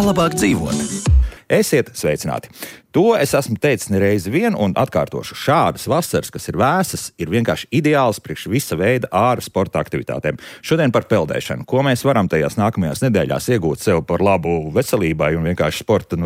Kā labāk dzīvot? Esiet sveicināti! To es esmu teicis nereizi vien un atkārtošu. Šādas vasaras, kas ir vēsas, ir vienkārši ideāls priekš visa veida āra sporta aktivitātēm. Šodien par peldēšanu. Ko mēs varam tajās nākamajās nedēļās iegūt sev par labu veselībai un vienkārši sporta,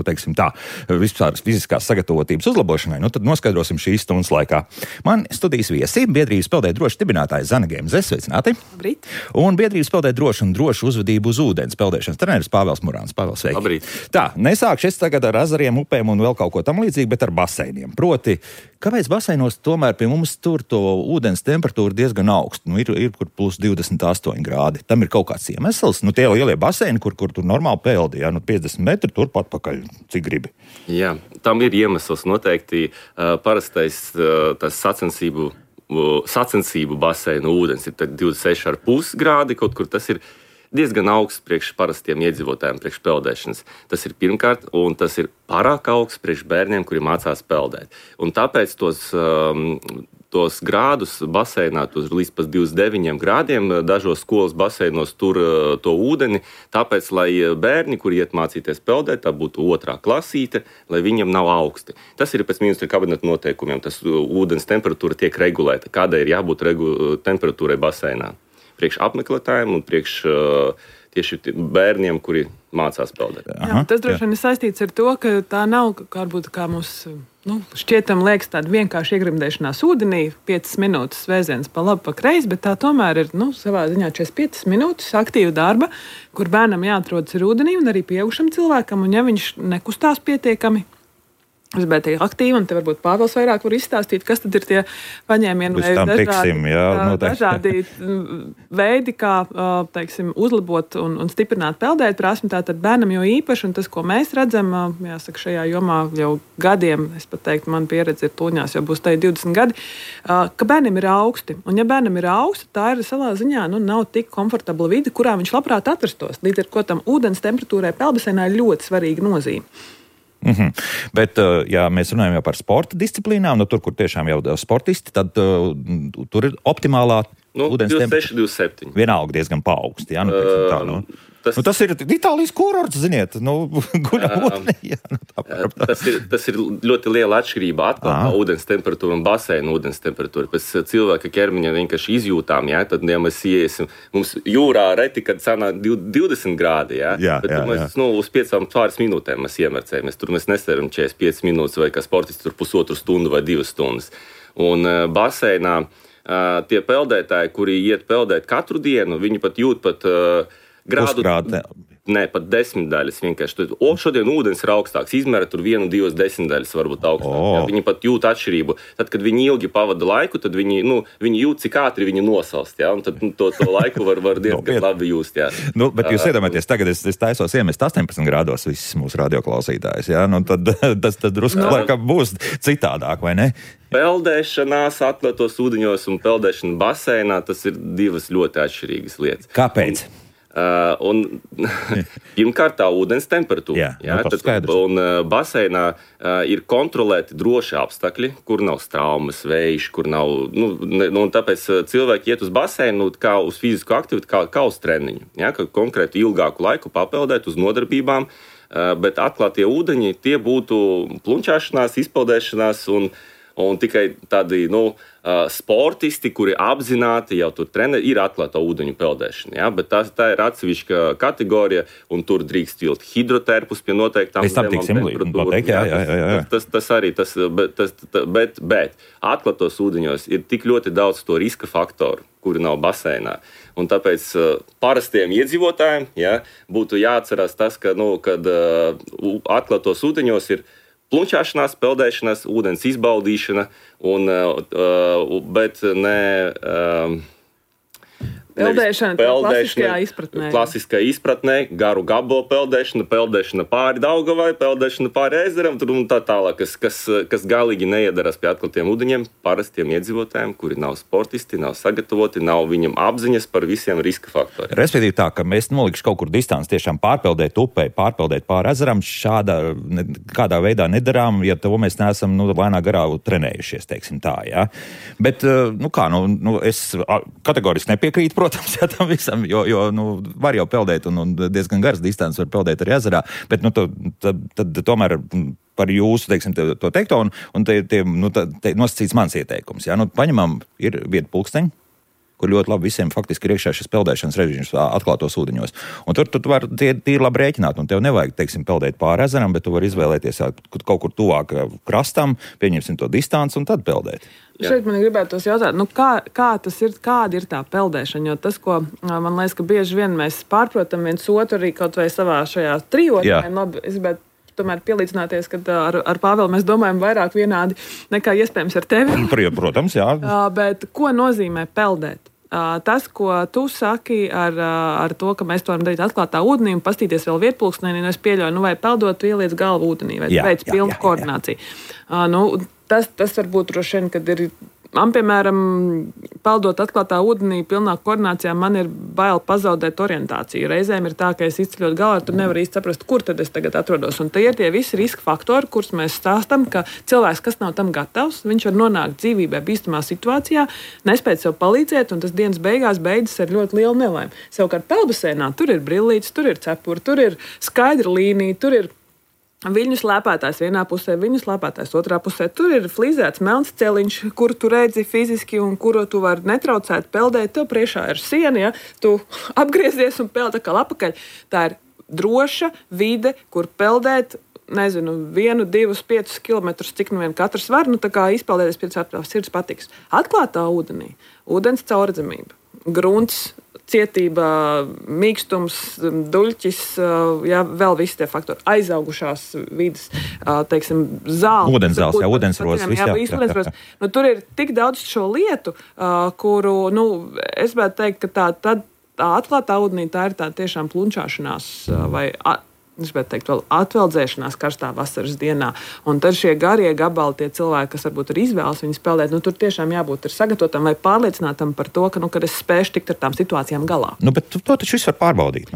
vispār fiziskās sagatavotības uzlabošanai, tad noskaidrosim šīs stundas laikā. Man studijas viesi, biedrības Peldēt droši dibinātājs Zana Gemze, sveicināti! Labrīt! Un biedrības Peldēt droši un drošu uzvedību uz ūdens peldēšanas treneris Pāvils Murāns. Pāvils, sveiki! Labrīt! Tā, nesākšu es tagad ar ezeriem, upēm un vēl kaut ko tam līdzīgi, bet ar baseiniem. Proti, kāpēc baseinos tomēr pie mums tur to ūdens temperatūra diezgan augsta? Ir kur plus 28 grādi. Tam ir kaut kāds iemesls. Tie lielie baseini, kur tur normāli peldi, 50 metri turpat pakaļ, cik gribi. Jā, tam ir iemesls noteikti. Parastais tas sacensību baseinu ūdens ir 26,5 grādi, kaut kur tas ir diezgan augsts priekš parastiem iedzīvotājiem, priekš peldēšanas. Tas ir pirmkārt, un tas ir pārāk augsts priekš bērniem, kuri mācās peldēt. Un tāpēc tos grādus baseinā, līdz pat 29 grādiem, dažos skolas baseinos tur to ūdeni, tāpēc, lai bērni, kuri iet mācīties peldēt, tā būtu 2. klasīte, lai viņiem nav augsti. Tas ir pēc ministra kabineta noteikumiem, tas ūdens temperatūra tiek regulēta, kādai ir jābūt temperatūrai baseinā. Priekš apmeklētājiem un priekš tieši bērniem, kuri mācās peldēt. Jā, tas droši vien ir saistīts ar to, ka tā nav varbūt kā mums šķietam liekas tāda vienkārši iegrimdēšanās ūdenī, 5 minūtes vēziens pa labi, pa kreisi, bet tā tomēr ir savā ziņā 45 minūtes aktīva darba, kur bērnam jāatrodas ir ūdenī un arī pieaugušam cilvēkam, un ja viņš nekustās pietiekami, bet ir aktīvi, un te varbūt Pāvils vairāk var izstāstīt, kas tad ir tie paņēmieni vai dažādi veidi, kā, uzlabot un stiprināt peldēt prasmi. Tātad bērnam jau īpaši, un tas, ko mēs redzam, jāsaka, šajā jomā jau gadiem, es pat teiktu, man pieredze ir tūņās, jau būs tai 20 gadi, ka bērniem ir augsti. Un ja bērnam ir augsti, tā ir savā ziņā, nav tik komfortabla vide, kurā viņš labprāt atrastos. Līdz ar ko tam ūdens temperatūrai peldbaseinā ir ļoti svarīga nozīme. Bet, ja mēs runājam jau par sporta disciplīnām, tur, kur tiešām jau sportisti, tad tur ir optimālā ūdens temperatūra. 26, 27. Vienalga diezgan paaugsti, tas ir Itālijas kurorts, ziniet, guļam ūdenī. Tas ir ļoti liela atšķirība atkal no ūdens temperatūra un baseina ūdens temperatūra. Pēc cilvēka ķermeņa vienkārši izjūtām, tad, ja mēs iesim, mums jūrā reti, kad sanāk 20 grādi, bet mēs uz 5 minūtēm mēs iemercējamies. Tur mēs neseram 45 minūtes vai kā sportisti tur 1,5 stundu vai 2 stundas. Un baseinā tie peldētāji, kuri iet peldēt katru dienu, viņi pat jūt grādu, pat 10 daļas vienkārši. Šodien ūdens ir augstāks, izmēra tur 1-2 desmitaļas varbūt augstāk. Viņi pat jūt atšķirību. Tad, kad viņi ilgi pavada laiku, tad viņi jūt, cik ātri viņi nosalst. Un tad to laiku var diezgan labi just. Bet jūs iedomājaties, tagad es taisos iemest 18 grādos visus mūsu radioklausītājus. Tad tas drusku laikam būs citādāk, vai ne? Peldēšanās atklātos ūdeņos un peldēšana baseinā, tas ir divas ļoti atšķirīgas lietas. Kāpēc? Pirmkārt, tā ūdens temperatūra. Un baseinā ir kontrolēti droši apstākļi, kur nav straumes, vējš, kur nav. Un tāpēc cilvēki iet uz baseinu kā uz fizisku aktivitāti, kā uz treniņu. Ka konkrēti ilgāku laiku papeldēt uz nodarbībām, bet atklātie ūdeņi tie būtu plunčāšanās, izpeldēšanās un tikai tādi sportisti, kuri apzināti jau tur trenē, ir atklāta ūdeņu peldēšana. Bet tā ir atsevišķa kategorija, un tur drīkst vilkt hidroterpus pie noteiktām temperatūrām. Tas arī, bet atklātos ūdeņos ir tik ļoti daudz to riska faktoru, kuri nav baseinā. Un tāpēc parastiem iedzīvotājiem būtu jāatcerās tas, ka, kad atklātos ūdeņos ir plunčāšanās, peldēšanās, ūdens izbaudīšana, bet ne Peldēšana klasiskā izpratnē, garu gabalo peldēšana pāri Daugavai, peldēšana pāri ezeram, un tā tālāk, kas galīgi neiedarās pie atklātiem ūdeņiem parastiem iedzīvotājiem, kuri nav sportisti, nav sagatavoti, nav viņam apziņas par visiem riska faktoriem. Respektīvi tā, ka mēs nolikšu kaut kur distanci tiešām pārpeldēt upē, pārpeldēt pāri ezeram, kādā veidā nedarām, ja to mēs neesam lēnā garā trenējušies, teiksim tā, jā. Bet, es kategoriski nepiekrītu, protams, jā, tam visam, jo var jau peldēt un diezgan garas distances var peldēt arī ezerā, bet tad tomēr par jūsu, teiksim, to teikto un te nosacīts mans ieteikums. Jā, paņemam, ir vieta pulksteņi, kur ļoti labi visiem faktiski ir iekšā šis peldēšanas režīms atklātos ūdeņos. Un tur tu vari tīri labi rēķināt, un tev nevajag, teiksim, peldēt pāri ezeram, bet tu vari izvēlēties kaut kur tuvāk krastam, pieņemsim to distanci un tad peldēt. Šeit man gribētos jautāt, kā tas ir, kāda ir tā peldēšana, jo tas, ko man liekas, ka bieži vien mēs pārprotam viens otru arī kaut vai savā šajā trijotnē, labi, es gribētu tomēr pielīdzināties, ka ar Pāvelu mēs domājam vairāk vienādi nekā iespējams ar tevi. Protams, jā. Bet ko nozīmē peldēt? Tas, ko tu saki ar to, ka mēs to varam darīt atklātā ūdenī un pastīties vēl vietpulkstenī, es pieļauju, vai peldot, tu ieliec galvu ūdenī, vai veic pilnu koordināciju. Tas varbūt droši vien, kad ir. Man, piemēram, peldot atklātā ūdenī, pilnā koordinācijā, man ir bail pazaudēt orientāciju. Reizēm ir tā, ka es izceļot galvā, tu nevari īsti saprast, kur tad es tagad atrodos. Un tie ir tie visi riska faktori, kurus mēs stāstam, ka cilvēks, kas nav tam gatavs, viņš var nonākt dzīvībā bīstamā situācijā, nespēt sev palīdzēt, un tas dienas beigās beidzas ar ļoti lielu nelaimi. Savukārt peldbaseinā tur ir brillītes, tur ir cepuri, tur ir skaidra līnija, tur ir viļņu slēpētājs vienā pusē, viļņu slēpētājs otrā pusē. Tur ir flīzēts melns celiņš, kuru tu redzi fiziski un kuru tu vari netraucēt peldēt. Tev priekšā ir siena, ja? Tu apgriezies un peld atkal apakaļ. Tā ir droša vide, kur peldēt, 1, 2, 5 kilometrus, cik nu vien katrs var, tā kā izpeldēties pēc sirds patiks. Atklātā ūdenī, ūdens caurredzamība, grunts, cietība, mīkstums, duļķis, vēl visi tie faktori, aizaugušās vidas, teiksim, zāles. Ūdenzāles, ūdensrodas, viss. Tur ir tik daudz šo lietu, kuru, es gribētu teikt, ka tā atklātā ūdenī tā ir tā tiešām plunčāšanās vai es gribētu teikt, vēl atveldzēšanās karstā vasaras dienā. Un tad šie garie gabali, tie cilvēki, kas varbūt ir izvēles viņus peldēt, tur tiešām jābūt sagatavotam vai pārliecinātam par to, ka, kad es spēšu tikt ar tām situācijām galā. Bet to taču viss var pārbaudīt.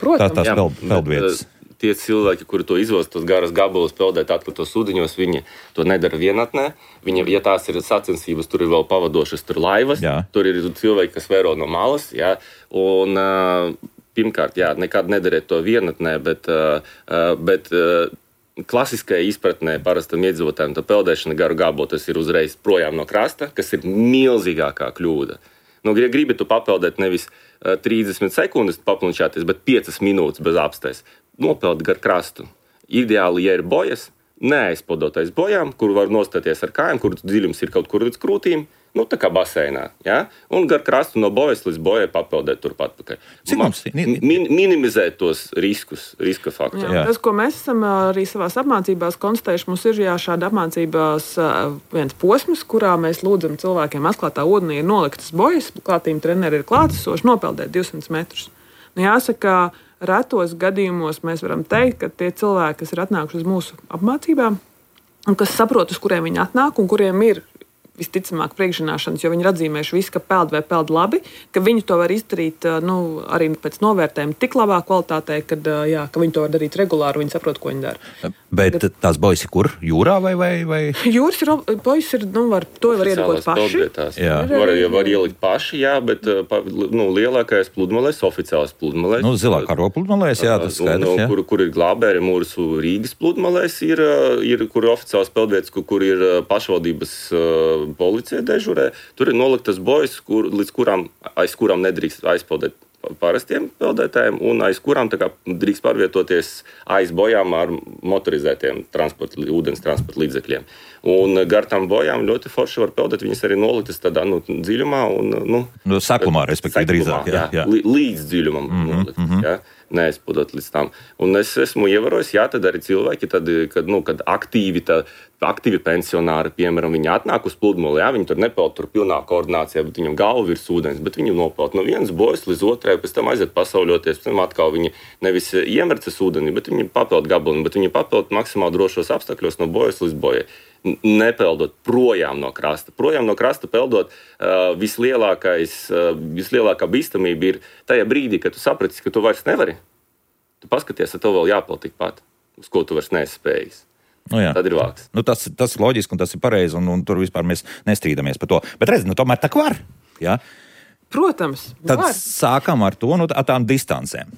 Protams. Tās peldvietas. Tie cilvēki, kuri to izvēlas, tos garas gabalus peldēt atklātos ūdeņos, viņi to nedara vienatnē. Viņi, ja tās ir sacensības, tur ir vēl pavadošas laivas, tur ir cilvēki, kas vēro no malas. Jā, un, pirmkārt, nekad nedariet to vienatnē, bet klasiskajā izpratnē parastam iedzīvotājiem tā peldēšana garu gabolu, tas ir uzreiz projām no krasta, kas ir milzīgākā kļūda. Ja gribi tu papeldēt nevis 30 sekundes paplunčāties, bet 5 minūtes bez apstājas, nopeld gar krastu. Ideāli, ja ir bojas, neaizpildot aiz bojām, kur var nostāties ar kājām, kur dziļums ir kaut kur līdz krūtīm, tā kā baseinā, un gar krastu no bojas līdz bojai papeldēt turpat pakaļ. Minimizēt tos riska faktorus. Tas, ko mēs esam arī savās apmācībās konstatējuši, mums ir šāda apmācībās viens posms, kurā mēs lūdzam cilvēkiem atklātā ūdenī ir noliktas bojas, klātīm treneri ir klātesoši, nopeldēt 200 metrus. Jāsaka, retos gadījumos mēs varam teikt, ka tie cilvēki, kas ir atnākuši uz mūsu apmācībām, un kas saprot, uz kuriem viņi atnāk, un kuriem ir visticamāk priekšzināšanas, jo viņi ir atzīmējuši visu, ka peld vai peld labi, ka viņi to var izdarīt arī pēc novērtējuma tik labā kvalitātē, ka viņi to var darīt regulāri, viņi saprot, ko viņi dara. Bet tās bojas ir kur? Jūrā vai? Jūras bojas ir, to var iedot paši. Var ielikt paši, bet lielākais pludmalēs, oficiāls pludmalēs. Zilā karo pludmalēs, tas skaidrs. Kur ir glābēri mūsu Rīgas pludmalēs, ir kur ir oficiāls peldvietas, kur ir pašvaldības policija dežurē. Tur ir noliktas bojas, aiz kurām nedrīkst aizpeldēt parastiem peldētājiem un aiz kurām drīkst pārvietoties aiz bojām ar motorizētiem ūdens transporta līdzekļiem. Un gar tām bojām ļoti forši var peldēt, viņas arī noliktas tādā dziļumā. Saklumā, respektīvi, drīzāk. Līdz dziļumam nolikt, neaizpildot līdz tam. Un es esmu ievērojis, tad arī cilvēki, kad aktīvi pensionāri, piemēram, viņi atnāk uz pludmali, viņi tur nepeld tur pilnā koordinācijā, bet viņam galva virs ūdens, bet viņi nopeld no vienas bojas līdz otrai, pēc tam aiziet pasauļoties, pēc tam atkal viņi nevis iemercas ūdenī, bet viņi papeld gabalinu, bet viņi papeld maksimāli drošos apstākļos no bojas līdz bojai. Nepeldot projām no krasta. Projām no krasta peldot vislielākā bīstamība ir tajā brīdī, kad tu sapratis, ka tu vairs nevari. Tu paskaties, ka tev vēl jāpeld tikpat, uz ko tu vairs neesi spējis. Tad ir vārds. Tas ir loģiski un tas ir pareizi, un tur vispār mēs nestrīdamies par to. Bet redz, tomēr tā var. Protams. Tad sākam ar to, ar tām distancēm.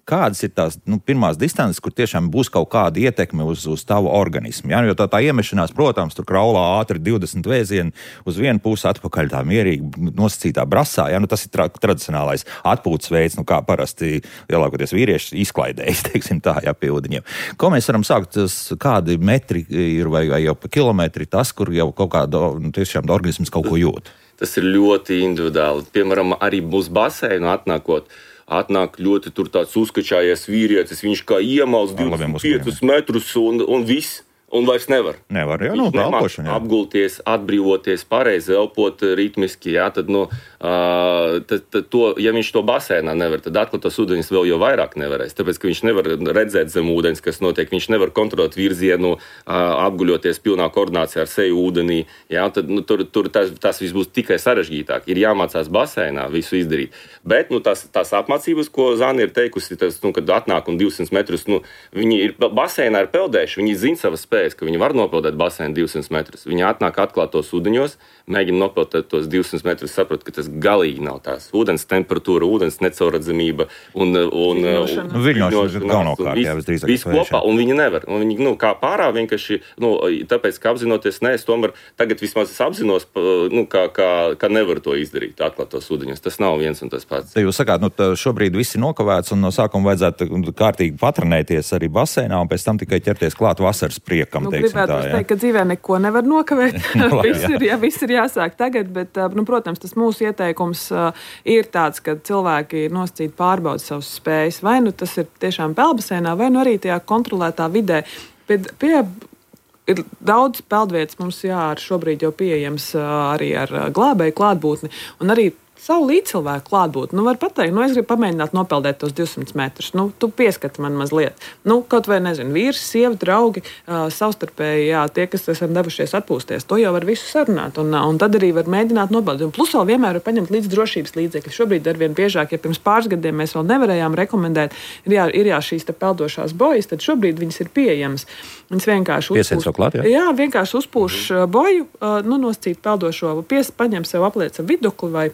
Kādas ir tās pirmās distances, kur tiešām būs kaut kāda ietekme uz tavu organismu? Ja? Jo tā iemešanās, protams, tur kraulā ātri 20 vēzieni uz vienu pusi, atpakaļ tā mierīgi nosacītā brasā. Ja? Tas ir tradicionālais atpūtas veids, kā parasti lielākoties vīrieši izklaidējas, teiksim tā, pie ūdeņiem. Ko mēs varam sākt, kādi metri ir vai jau pa kilometri tas, kur jau kaut kāda tiešām organisms kaut ko jūt? Tas ir ļoti individuāli. Piemēram, arī mūsu baseinu atnāk ļoti tur tāds uzkačājies vīrietis, viņš kā iemals 25 metrus un viss. Un vairs nevar. Nevar, jā, elpošana. Apgulties, atbrīvoties, pareizi elpot ritmiski, jā, tad, ja viņš to basēnā nevar, tad atklātos ūdeņus vēl jau vairāk nevarēs, tāpēc, ka viņš nevar redzēt zem ūdeņus, kas notiek, viņš nevar kontrolēt virzienu, apguļoties pilnā koordinācijā ar seju ūdenī, jā, tad, tur tas viss būs tikai sarežģītāk. Ir jāmācās basēnā visu izdarīt. Bet, tās apmācības, ko Zana ir teikusi, tas, kad atnāk un 200 metrus, viņi ir basēnā ir peldējuši, viņi zina savas spējas, ka viņi var nopeldēt basēnu 200 metrus. Viņi atnāk atklātos ūdeņos, mēģina nopeldēt tos 200 metrus, saprot, ka tas galīgi nav tās. Ūdens temperatūra, ūdens necaurredzamība un viļņošana galvenokārt, jā, visdrīzāk. Viss kopā, un viņi nevar. Un viņi, kā pārā vienkārši, tāpēc, ka apzinoties, es tomēr tagad vismaz es apzinos, ka nevar to izdarīt atklātos ūdeņos. Tas nav viens un tas pats. Te jūs sakāt, šobrīd viss ir nokavēts un no sākuma vajadzētu kārtīgi patrenēties arī basēnā un pēc tam tikai ķerties klāt vasaras priekam. Gribētu teikt, ka dzīvē neko nevar nokavēt. Viss ir jāsāk tagad, bet, protams, tas mūsu ieteikums ir tāds, ka cilvēki nosacīti pārbauda savas spējas. Vai tas ir tiešām peldbasēnā, vai arī tajā kontrolētā vidē. Ir daudz peldvietas mums šobrīd jau pieejams arī ar glābēju klātbūtni un arī savu līdzcilvēku klātbūtni. Var pateikt, es gribu pamēģināt nopeldēt tos 200 metrus. Tu pieskati man mazliet. Kaut vai, vīrs, sieva, draugi, savstarpēji, tie, kas esam devušies atpūsties. To jau var visu sarunāt. Un tad arī var mēģināt nopeldēt. Un plus vēl vienmēr var paņemt līdz drošības līdzekļi. Šobrīd arvien biežāk, ja pirms pāris gadiem mēs vēl nevarējām rekomendēt, ir šīs peldošās bojas, tad šobrīd viņas ir pieejamas. Viņas vienkārši uzpūš boju, nosacīt peldošo, paņem sev apliec ar vidukli vai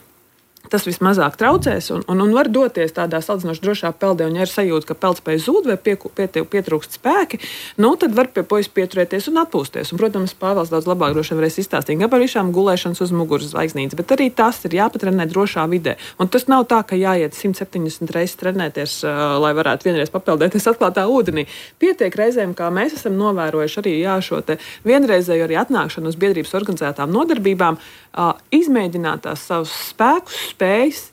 tas vismazāk traucēs un var doties tādā salīdzinoši drošā peldē, un ja ir sajūta, ka peldspēja zūd vai pietrūkst spēki, tad var pie puikas pieturēties un atpūsties. Un, protams, Pāvils daudz labāk droši varēs izstāstīt gan par visām gulēšanas uz muguras zvaigznītes, bet arī tas ir jāpatrenē drošā vidē. Un tas nav tā, ka jāiet 170 reizes trenēties, lai varētu vienreiz papeldēties atklātā ūdenī. Pietiek reizēm, kā mēs esam novērojuši arī šo te vienreizēju arī atnākšanu uz biedrības organizētām nodarbībām, izmēģināt tās savus spēkus, spējas,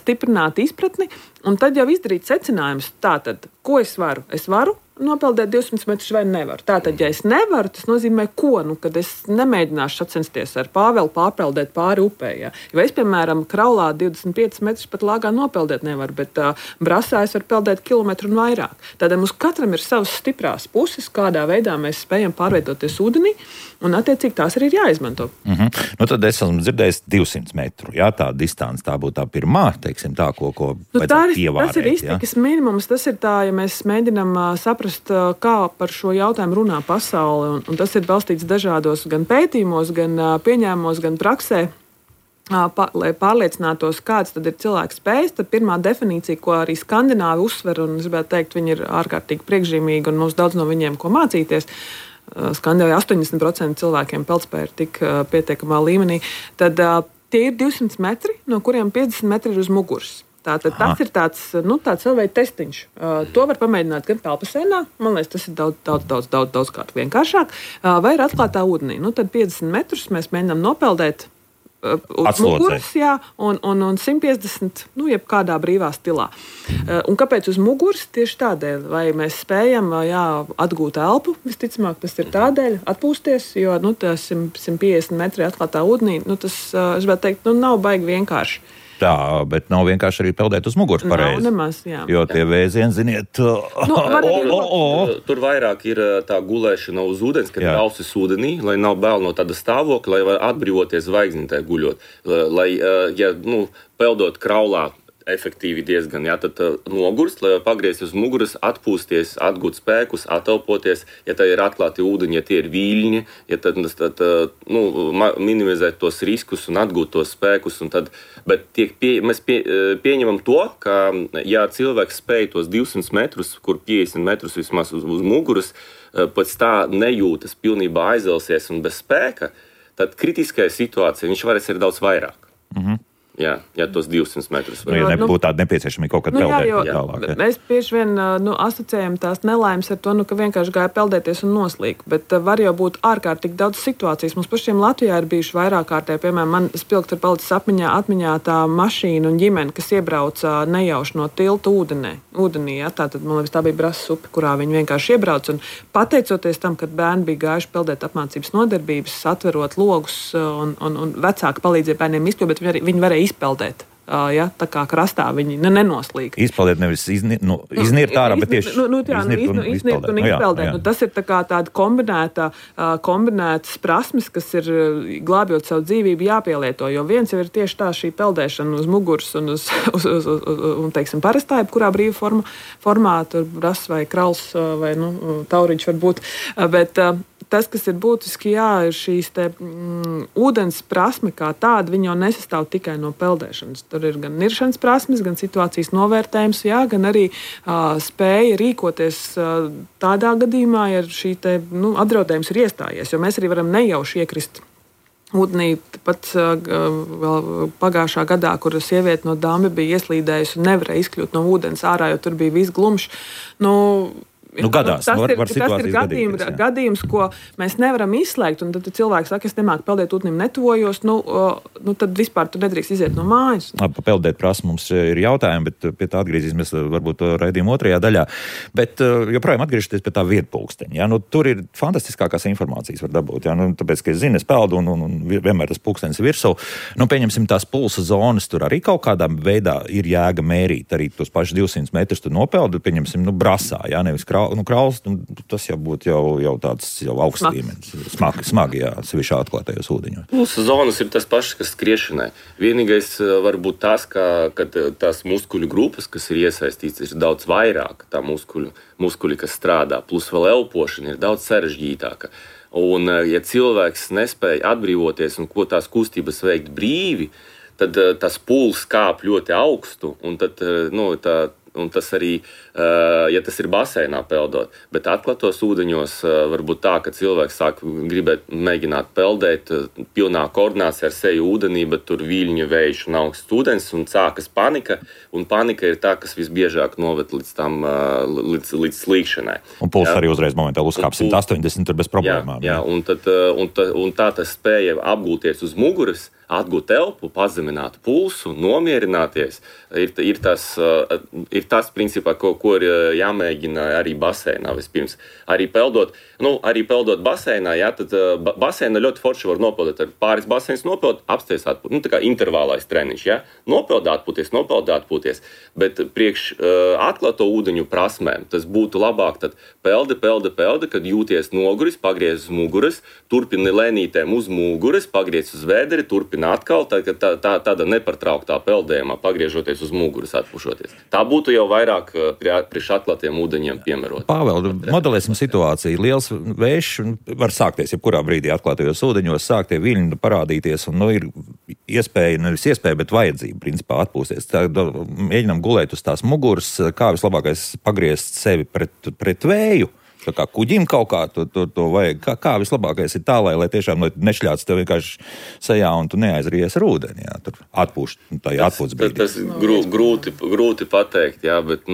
stiprināt izpratni un tad jau izdarīt secinājumus. Tātad, ko es varu? Es varu nopeldēt 200 metrus vai nevaru. Tātad, ja es nevaru, tas nozīmē ko? Kad es nemēģināšu sacensties ar Pāvelu pārpeldēt pāri upē. Ja? Jo es, piemēram, kraulā 25 metrus pat lāgā nopeldēt nevaru, bet brasā es varu peldēt kilometru un vairāk. Tādēļ mums katram ir savas stiprās puses, kādā veidā mēs spējam pārvietoties ūdenī, un attiecīgi tās arī ir jāizmanto. Tad es esmu dzirdējis 200 metru. Jā, tā distance, tā būtu tā pirmā, teiksim, tā, ko vajadzētu ievārēt. Tas ir iztikas minimums, tas ir tā, ja mēs mēģinam saprast, kā par šo jautājumu runā pasaule, un tas ir balstīts dažādos gan pētījumos, gan pieņēmumos, gan praksē. Lai pārliecinātos, kāds tad ir cilvēks spējas, tad pirmā definīcija, ko arī skandināvi uzsver, un es gribētu teikt, viņi ir ārkārtīgi priekšzīmīgi, un mums daudz no viņiem ko mācīties. Skandināvijā 80% cilvēkiem peldspēja ir tik pietiekamā līmenī, tad tie ir 200 metri, no kuriem 50 metri ir uz muguras. Tātad tas ir tāds vēl veida testiņš. To var pamēģināt gan peldbasēnā, man liekas, tas ir daudzkārt vienkāršāk, vai ir atklātā ūdenī. Tad 50 metrus mēs mēģinām nopeldēt uz muguras, un 150, jebkādā brīvā stilā. Un kāpēc uz muguras? Tieši tādēļ, vai mēs spējam atgūt elpu, visticamāk, tas ir tādēļ, atpūsties, jo tas 150 metri atklātā ūdenī, tas, es gribētu teikt, nav baigi vienkārši. Tā, bet nav vienkārši arī peldēt uz muguras pareizi. Nav nemaz, jā. Jo tie vēzieni, ziniet, tur vairāk ir tā gulēšana uz ūdens, kad ir ausis ūdenī, lai nav bail no tāda stāvokļa, lai var atbrīvoties zvaigznītē guļot. Lai, peldot kraulā, efektīvi diezgan, jā, tad nogurst, lai pagriezties uz muguras, atpūsties, atgūt spēkus, atelpoties, ja tā ir atklāti ūdeņi, ja tie ir viļņi, ja tad minimizēt tos riskus un atgūt tos spēkus, un tad, bet mēs pieņemam to, ka, ja cilvēks spēj tos 200 metrus, kur 50 metrus vismaz uz muguras, pēc tā nejūtas pilnībā aizelsies un bez spēka, tad kritiskajā situācijā viņš varēs ir daudz vairāk. Jā, tos 200 metrus. Ja nebūtu tāda nepieciešama kaut kad peldēt tālāk. Mēs bieži vien asociējam tās nelaimes ar to, ka vienkārši gāja peldēties un noslīk, bet var jau būt ārkārtīgi daudz situācijas. Mums pašiem Latvijā ir bijuši vairāk kārtē, piemēram, man spilgti ir palicis atmiņā tā mašīna un ģimene, kas iebrauca nejauši no tilta ūdenī. Ja? Tātad, man liekas, tā bija Brasas upe, kurā viņi vienkārši iebrauca. Un pateicoties tam, kad bērni bija gājuši peldēt apmācības nodarbības, atverot logus un vecāki palīdzēja bērniem izkļūt, bet viņi varēja izpeldēt. Ja, tā kā krastā viņi nenoslīg. Izpeldēt nevis iznirt ārā, bet tieši iznirt un izpeldēt. Tas ir tā kā tāda kombinētas prasmes, kas ir glābjot savu dzīvību jāpielieto, jo viens jau ir tieši tā šī peldēšana uz muguras un un teiksim, parastā, kurā brīva formā, tur Brasas vai Krauls vai Tauriņš var būt, bet tas, kas ir būtiski, ir šīs ūdens prasme kā tāda, viņa jau nesastāv tikai no peldēšanas. Tur ir gan niršanas prasmes, gan situācijas novērtējums, gan arī spēja rīkoties tādā gadījumā, ja šī apdraudējums ir iestājies, jo mēs arī varam nejauši iekrist ūdenī. Pat vēl pagājušā gadā, kur sieviete no Dāmbi bija ieslīdējusi un nevarēja izkļūt no ūdens ārā, jo tur bija viss glumšs. Gadās, tas ir gadījums, ko mēs nevaram izslēgt. Un tad cilvēks saka, es nemāku peldēt ūdenim, netuvojos, tad vispār tu nedrīkst iziet no mājas. Peldēt prasme mums ir jautājumi, bet pie tā atgriezīsimies varbūt raidījuma otrajā daļā. Bet joprojām atgriežoties pie tā vietpulksteņa. Ja? Tur ir fantastiskākās informācijas var dabūt. Ja? Tāpēc, ka es zinu, es peldu un vienmēr tas pulkstenis virsū. Pieņemsim tās pulsa zonas, tur arī kaut kādā veidā ir jēga mērīt. Arī tos pašus 200 metrus tu nopeldu, pieņemsim, Brasā, ja? Nevis Krauls, tas jau būtu jau tāds augsts līmenis. Smagi, jā, sevišķi atklātajos ūdeņos. Pulsa zonas ir tas pašs, kas skriešanai. Vienīgais var būt tas, ka tās muskuļu grupas, kas ir iesaistīts, ir daudz vairāk. Tā muskuļi, kas strādā, plus vēl elpošana ir daudz sarežģītāka. Un, ja cilvēks nespēja atbrīvoties un ko tās kustības veikt brīvi, tad tas puls kāp ļoti augstu, un tad, un tas arī, ja tas ir baseinā peldot, bet atklātos ūdeņos var būt tā, ka cilvēks sāk gribēt mēģināt peldēt pilnā koordinācijā ar seju ūdenī, bet tur viļņu vējš un augsts ūdens, un sākas panika, un panika ir tā, kas visbiežāk noved līdz slīkšanai. Un puls arī uzreiz momentāli uzkāp 180 tur bez problēmām. Jā, un tā tas spēja apgūties uz muguras, atgūt elpu, pazemināt pulsu, nomierināties, ir tas principā, ko ir jāmēģina arī baseinā vispirms. Arī peldot baseinā, tad baseinā ļoti forši var nopeldēt. Ar pāris baseinas nopeld, apsties atpūties. Tā kā intervālais treniņš, Nopeld atpūties. Bet priekš atklāto ūdeņu prasmēm tas būtu labāk, tad peldi, kad jūties noguris, pagriez uz muguras, turpini lēnītēm uz muguras, pagriez uz vēderi, turpini atkal, tāda nepārtrauktā peldējumā, pagriežoties uz muguras, atpušoties. Tā būtu jau vairāk priekš atklātiem ūdeņiem piemērot. Pāvēl, modelēsim situāciju. Liels vējš var sākties jebkurā brīdī atklātajos ūdeņos, sāk tie viļņi parādīties, un ir nevis iespēja, bet vajadzība, principā, atpūsties. Mēģinām gulēt uz tās muguras, kā vislabākais pagriezt sevi pret vēju. Tā kā kuģim kaut kā to vajag. Kā vislabākais ir tā, lai tiešām nešļāts tev vienkārši sejā un tu neaizries ar ūdeni. Jā, tur atpūšt, tā ir atpūtas brīdī. Tas grūti pateikt, bet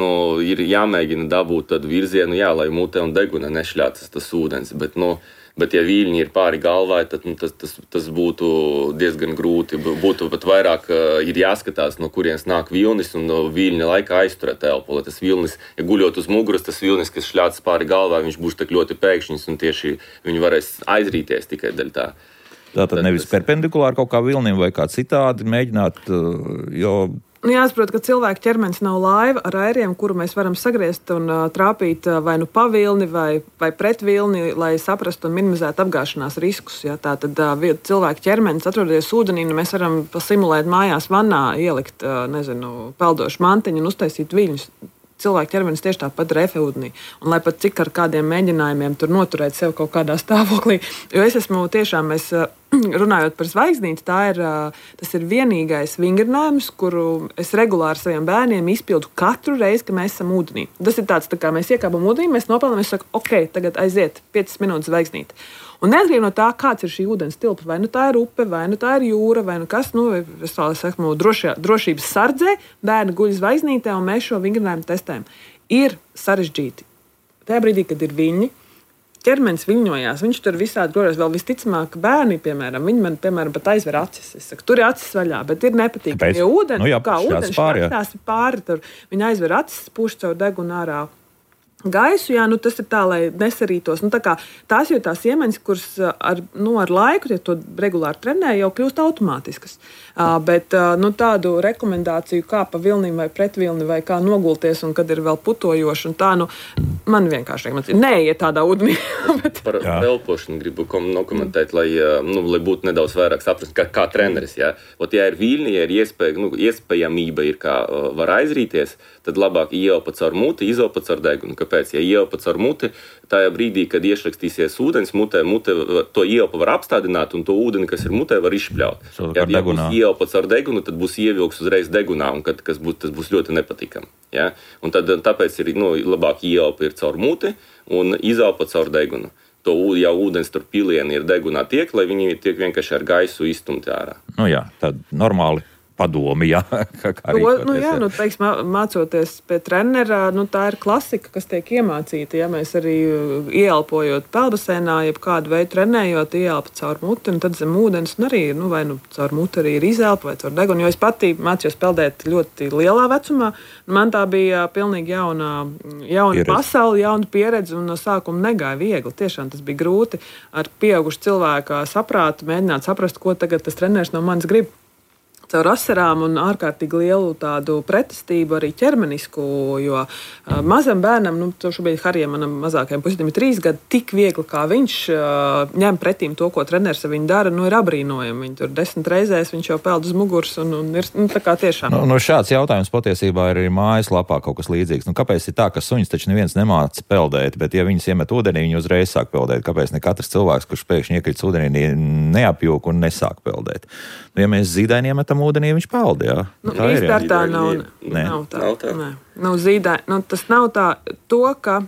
ir jāmēģina dabūt tādu virzienu, lai mutē un deguna nešļācas tas ūdens, bet ja viļņi ir pāri galvai, tad tas būtu diezgan grūti. Būtu pat vairāk ir jāskatās, no kurienes nāk vilnis, un no viļņa laikā aizturēt elpu. Lai tas vilnis, ja guļot uz muguras, tas vilnis, kas šļācas pāri galvai, viņš būs tak ļoti pēkšņs, un tieši viņi varēs aizrīties tikai daļ tā. Tātad nevis perpendikulāri kaut kā vilnim vai kā citādi mēģināt, jo Jāsaprot, ka cilvēka ķermenis nav laiva ar airiem, kuru mēs varam sagriezt un trāpīt vai nu pa vilni vai pret vilni, lai saprastu un minimizētu apgāšanās riskus. Ja? Tātad cilvēka ķermenis atrodoties ūdenī, mēs varam pasimulēt mājās vannā, ielikt, peldošu mantiņu un uztaisīt viļņus. Cilvēka ķermenis tieši tāpat ir efeūdenī. Un lai pat cik ar kādiem mēģinājumiem tur noturēt sev kaut kādā stāvoklī, jo es esmu tiešām, runājot par zvaigznīti, tas ir vienīgais vingrinājums, kuru es regulāri saviem bērniem izpildu katru reizi, kad mēs esam ūdenī. Tas ir tāds, tā kā mēs iekāpam ūdenī, mēs nopelnām, es saku, ok, tagad aiziet 5 minūtes zvaigznīti. Un neatkarīgi no tā, kāds ir šī ūdens tilpa, vai nu tā ir upe, vai nu tā ir jūra, vai nu kas, es tā saku, drošības sardzē, bērni guļ zvaigznītē, un mēs šo vingrinājumu testējam. Ir sarežģīti. Tajā brīdī, kad ir viļņi, ķermenis viļņojās, viņš tur visādi grožas, vēl visticamāk bērni, piemēram, viņi man, pat aizver acis. Es saku, tur ir acis vaļā, bet ir nepatīkami. Jo ūdens, ūdens šķastās pāri, tur viņi aizver acis, pūš caur degunu ārā gaisu, tas ir tā, lai nesarītos. Tās jau tās iemaņas, kuras ar laiku, ja to regulāri trenē, jau kļūst automātiskas. Bet tādu rekomendāciju, kā pa vilnim vai pret vilni, vai kā nogulties, un kad ir vēl putojoši, un tā, man vienkārši neiet tādā ūdenī. Par elpošanu gribu nokomentēt, lai būtu nedaudz vairāk saprast, kā treneris. Ja ir viļņi, ja ir iespējamība, kā var aizrīties, tad labāk ieelpa caur muti, izelpa caur degunu. Kāpēc? Ja ieelpa caur muti, tajā brīdī, kad iešrakstīsies ūdens, mute to ieelpa var apstādināt, un to ūdeni, kas ir mutē, var izšpļaut. Ja būs ieelpa caur degunu, tad būs ievilks uzreiz degunā, un tas būs ļoti nepatīkami. Ja? Un tāpēc ir labāk ieelpa ir caur muti un izelpa caur degunu. To jau ūdens tur pilieni ir degunā tiek, lai viņi tiek vienkārši ar gaisu izstumti ārā. Tad normāli. Padomi, mācoties pie trenera, tā ir klasika, kas tiek iemācīta. Ja mēs arī ieelpojot peldbaseinā, jeb kādu veidu trenējot, ieelpa caur muti, un tad zem ūdens, un arī, vai caur muti arī ir izelpa vai caur degunu. Jo es pati mācījos peldēt ļoti lielā vecumā. Man tā bija pilnīgi jauna pasaule, jauna pieredze, un no sākuma negāja viegli. Tiešām tas bija grūti ar pieaugušu cilvēku saprātu, mēģināt saprast, ko tagad tas treneris no manis grib. Caur asarām un ārkārtīgi lielu tādu pretestību arī ķermenisku, jo mazam bērnam, šobrīd Harijam, manam mazākajam puisim ir 3 gadi, tik viegli, kā viņš ņem pretīm to, ko treneris ar viņu dara, ir abrīnojami. Viņi tur 10 reizēs, viņš jau peld uz muguras un ir tā kā tiešām. Šāds jautājums patiesībā ir arī mājaslapā kaut kas līdzīgs. Kāpēc ir tā, ka suņus taču neviens nemāca peldēt, bet ja viņus iemet ūdenī, viņi uzreiz sāk peldēt? Kāpēc ne katrs cilvēks, kurš pēkšņi iekrits ūdenī, neapjūk un nesāk peldēt? Ja mēs zīdaini iemetam ūdenī, viņš peld, jā. Tā nav tā. Tas nav tā. To, ka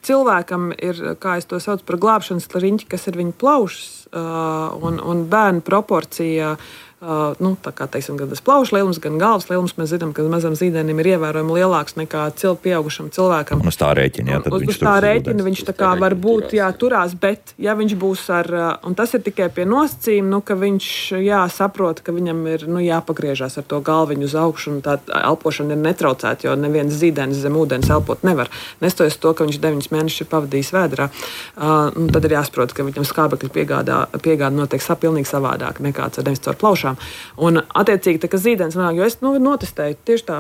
cilvēkam ir, kā es to saucu, par glābšanas riņķi, kas ir viņa plaušas, un bērnu proporcija, tā kā, teiksim, gan tas plaušu lielums, gan galvas lielums, mēs zinām, ka mazam zīdainim ir ievērojami lielāks nekā pieaugušam cilvēkam. Un uz tā rēķina, viņš tā kā var būt, turās, bet ja viņš būs un tas ir tikai pie nosacījuma, ka viņš, saprot, ka viņam ir, jāpagriežās ar to galviņu uz augšu, un tā elpošana ir netraucēta, jo neviens zīdainis zem ūdens elpot nevar. Nestojas to, ka viņš 9 mēnešus ir pavadījis vēdrā. Tad ir jāsaprot, ka viņam skābekļa piegāda notiek pilnīgi savādāk nekā caur plaušām. Un, attiecīgi, tā kā zīdens manāk, jo es notestēju, tieši tā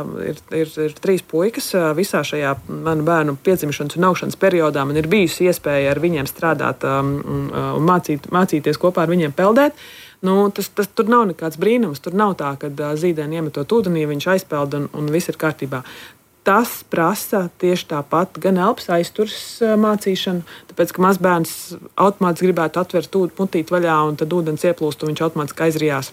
ir 3 puikas visā šajā manu bērnu piedzimšanas un augšanas periodā. Man ir bijusi iespēja ar viņiem strādāt un mācīties kopā ar viņiem peldēt. Tas tur nav nekāds brīnums. Tur nav tā, ka zīdeni iemetot ūdenī, viņš aizpeld un viss ir kārtībā. Tas prasa tieši tāpat gan elpas aizturs mācīšanu, tāpēc, ka mazbērns automātiski gribētu atvert mutīti vaļā, un tad ūdens ieplūst, un viņš automātiski aizrijās.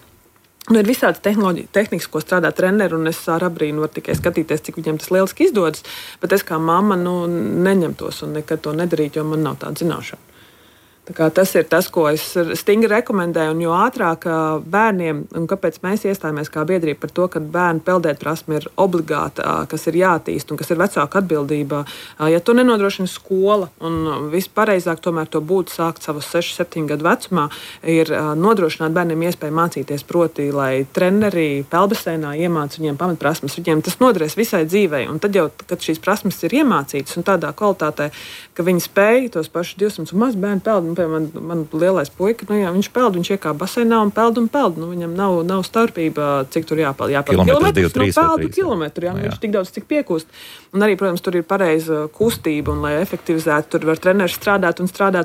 Ir visādas tehnikas, ko strādā treneri, un es ar abrīnu varu tikai skatīties, cik viņiem tas lieliski izdodas, bet es kā mamma neņemtos un nekad to nedarītu, jo man nav tāda zināšana. Tas ir tas, ko es stingri rekomendēju, un jo ātrāk bērniem, un kāpēc mēs iestājāmies kā biedrība par to, ka bērnu peldēt prasme ir obligāta, kas ir jātīst un kas ir vecāka atbildība. Ja to nenodrošina skola, un vispareizāk tomēr to būtu sākt savus 6-7 gadu vecumā, ir nodrošināt bērniem iespēju mācīties, proti, lai treneri peldbaseinā iemāca viņiem pamatprasmes. Viņiem tas noderēs visai dzīvei, un tad jau, kad šīs prasmes ir iemācītas un tādā kvalitātē, ka viņi spēj tos pašus 200 un maz bērnu peld, piemēram, man lielais puika, nu jā, viņš peld, viņš iekāp baseinā un peld. Nu, viņam nav starpība, cik tur jāpeld. Kilometrus, 2, 3 peldu kilometru, jā, viņš tik daudz, cik piekūst. Un arī, protams, tur ir pareiza kustība, un, lai efektivizētu, tur var treneris strādāt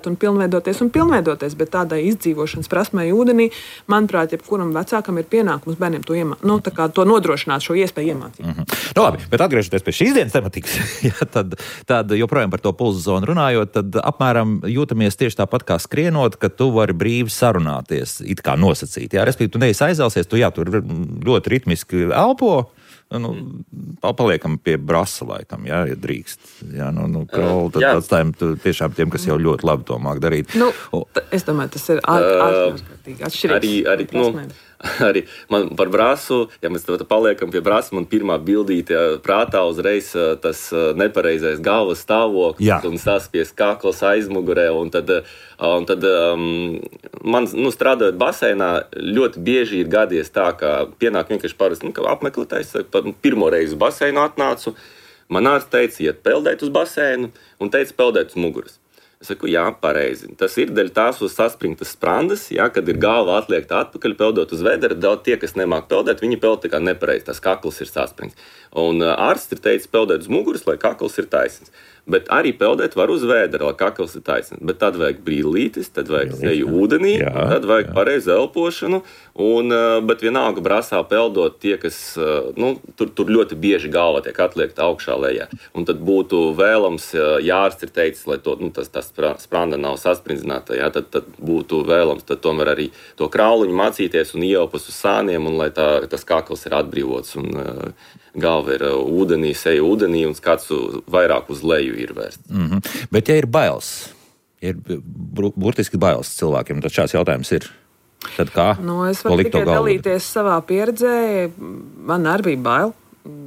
un pilnveidoties, bet tādai izdzīvošanas prasmei ūdenī, manuprāt, jebkuram vecākam ir pienākums bērniem to nodrošināt, šo iespēju iemācīt. Nu, labi, bet atgriežoties pie šīs dienas tematikas, ja, tad joprojām par to pulsa zonu runājot, tad apmēram jūtamies tieši tāpat kā skrienot, ka tu vari brīvi sarunāties, it kā nosacīt. Jā, respektīvi, tu neesi aizēlsies, tu tur ļoti ritmiski elpo, paliekam pie brasa laikam, jā, ja drīkst. Jā, tad atstājam tiešām tiem, kas jau ļoti labi to māk darīt. Es domāju, tas ir ārkārtīgi atšķirīgs. Arī man par brasu, ja mēs paliekam pie brasa, man pirmā bildīte prātā uzreiz tas nepareizais galvas stāvoklis un saspies kakls aizmugurē. Un tad man, strādājot baseinā, ļoti bieži ir gadies tā, ka pienāk vienkārši parasti apmeklētājs. Pirmo reizi uz baseinu atnācu, man ārsts teica, iet peldēt uz baseinu un teica peldēt uz muguras. Es saku, jā, pareizi. Tas ir dēļ tās uz saspringtas sprandas, kad ir galva atliekta atpakaļ, peldot uz vedera. Daudz tie, kas nemāk peldēt, viņi peld tā kā nepareizi, tas kakls ir saspringts. Un ārsts ir teicis peldēt uz muguras, lai kakls ir taisns. Bet arī peldēt var uz vēdera, lai kakls ir taisns. Bet tad vajag brīlītis, tad vajag seju ūdenī, tad vajag pareizu elpošanu. Bet vienalga brasā peldot tie, kas tur ļoti bieži galva tiek atliekta augšā lejā. Un tad būtu vēlams, ja ārsts ir teicis, lai tas spranda nav sasprindzināta, tad būtu vēlams tad tomēr arī to krauliņu mācīties un ieelpas uz sāniem, un lai tas kakls ir atbrīvots un galva ir ūdenī, seja ūdenī un skats vairāk uz leju ir vērsts. Bet ja ir bailes, ir burtiski bailes cilvēkiem, tad šāds jautājums ir. Tad kā? Es varu tikai dalīties savā pieredzē. Man arī bija bail.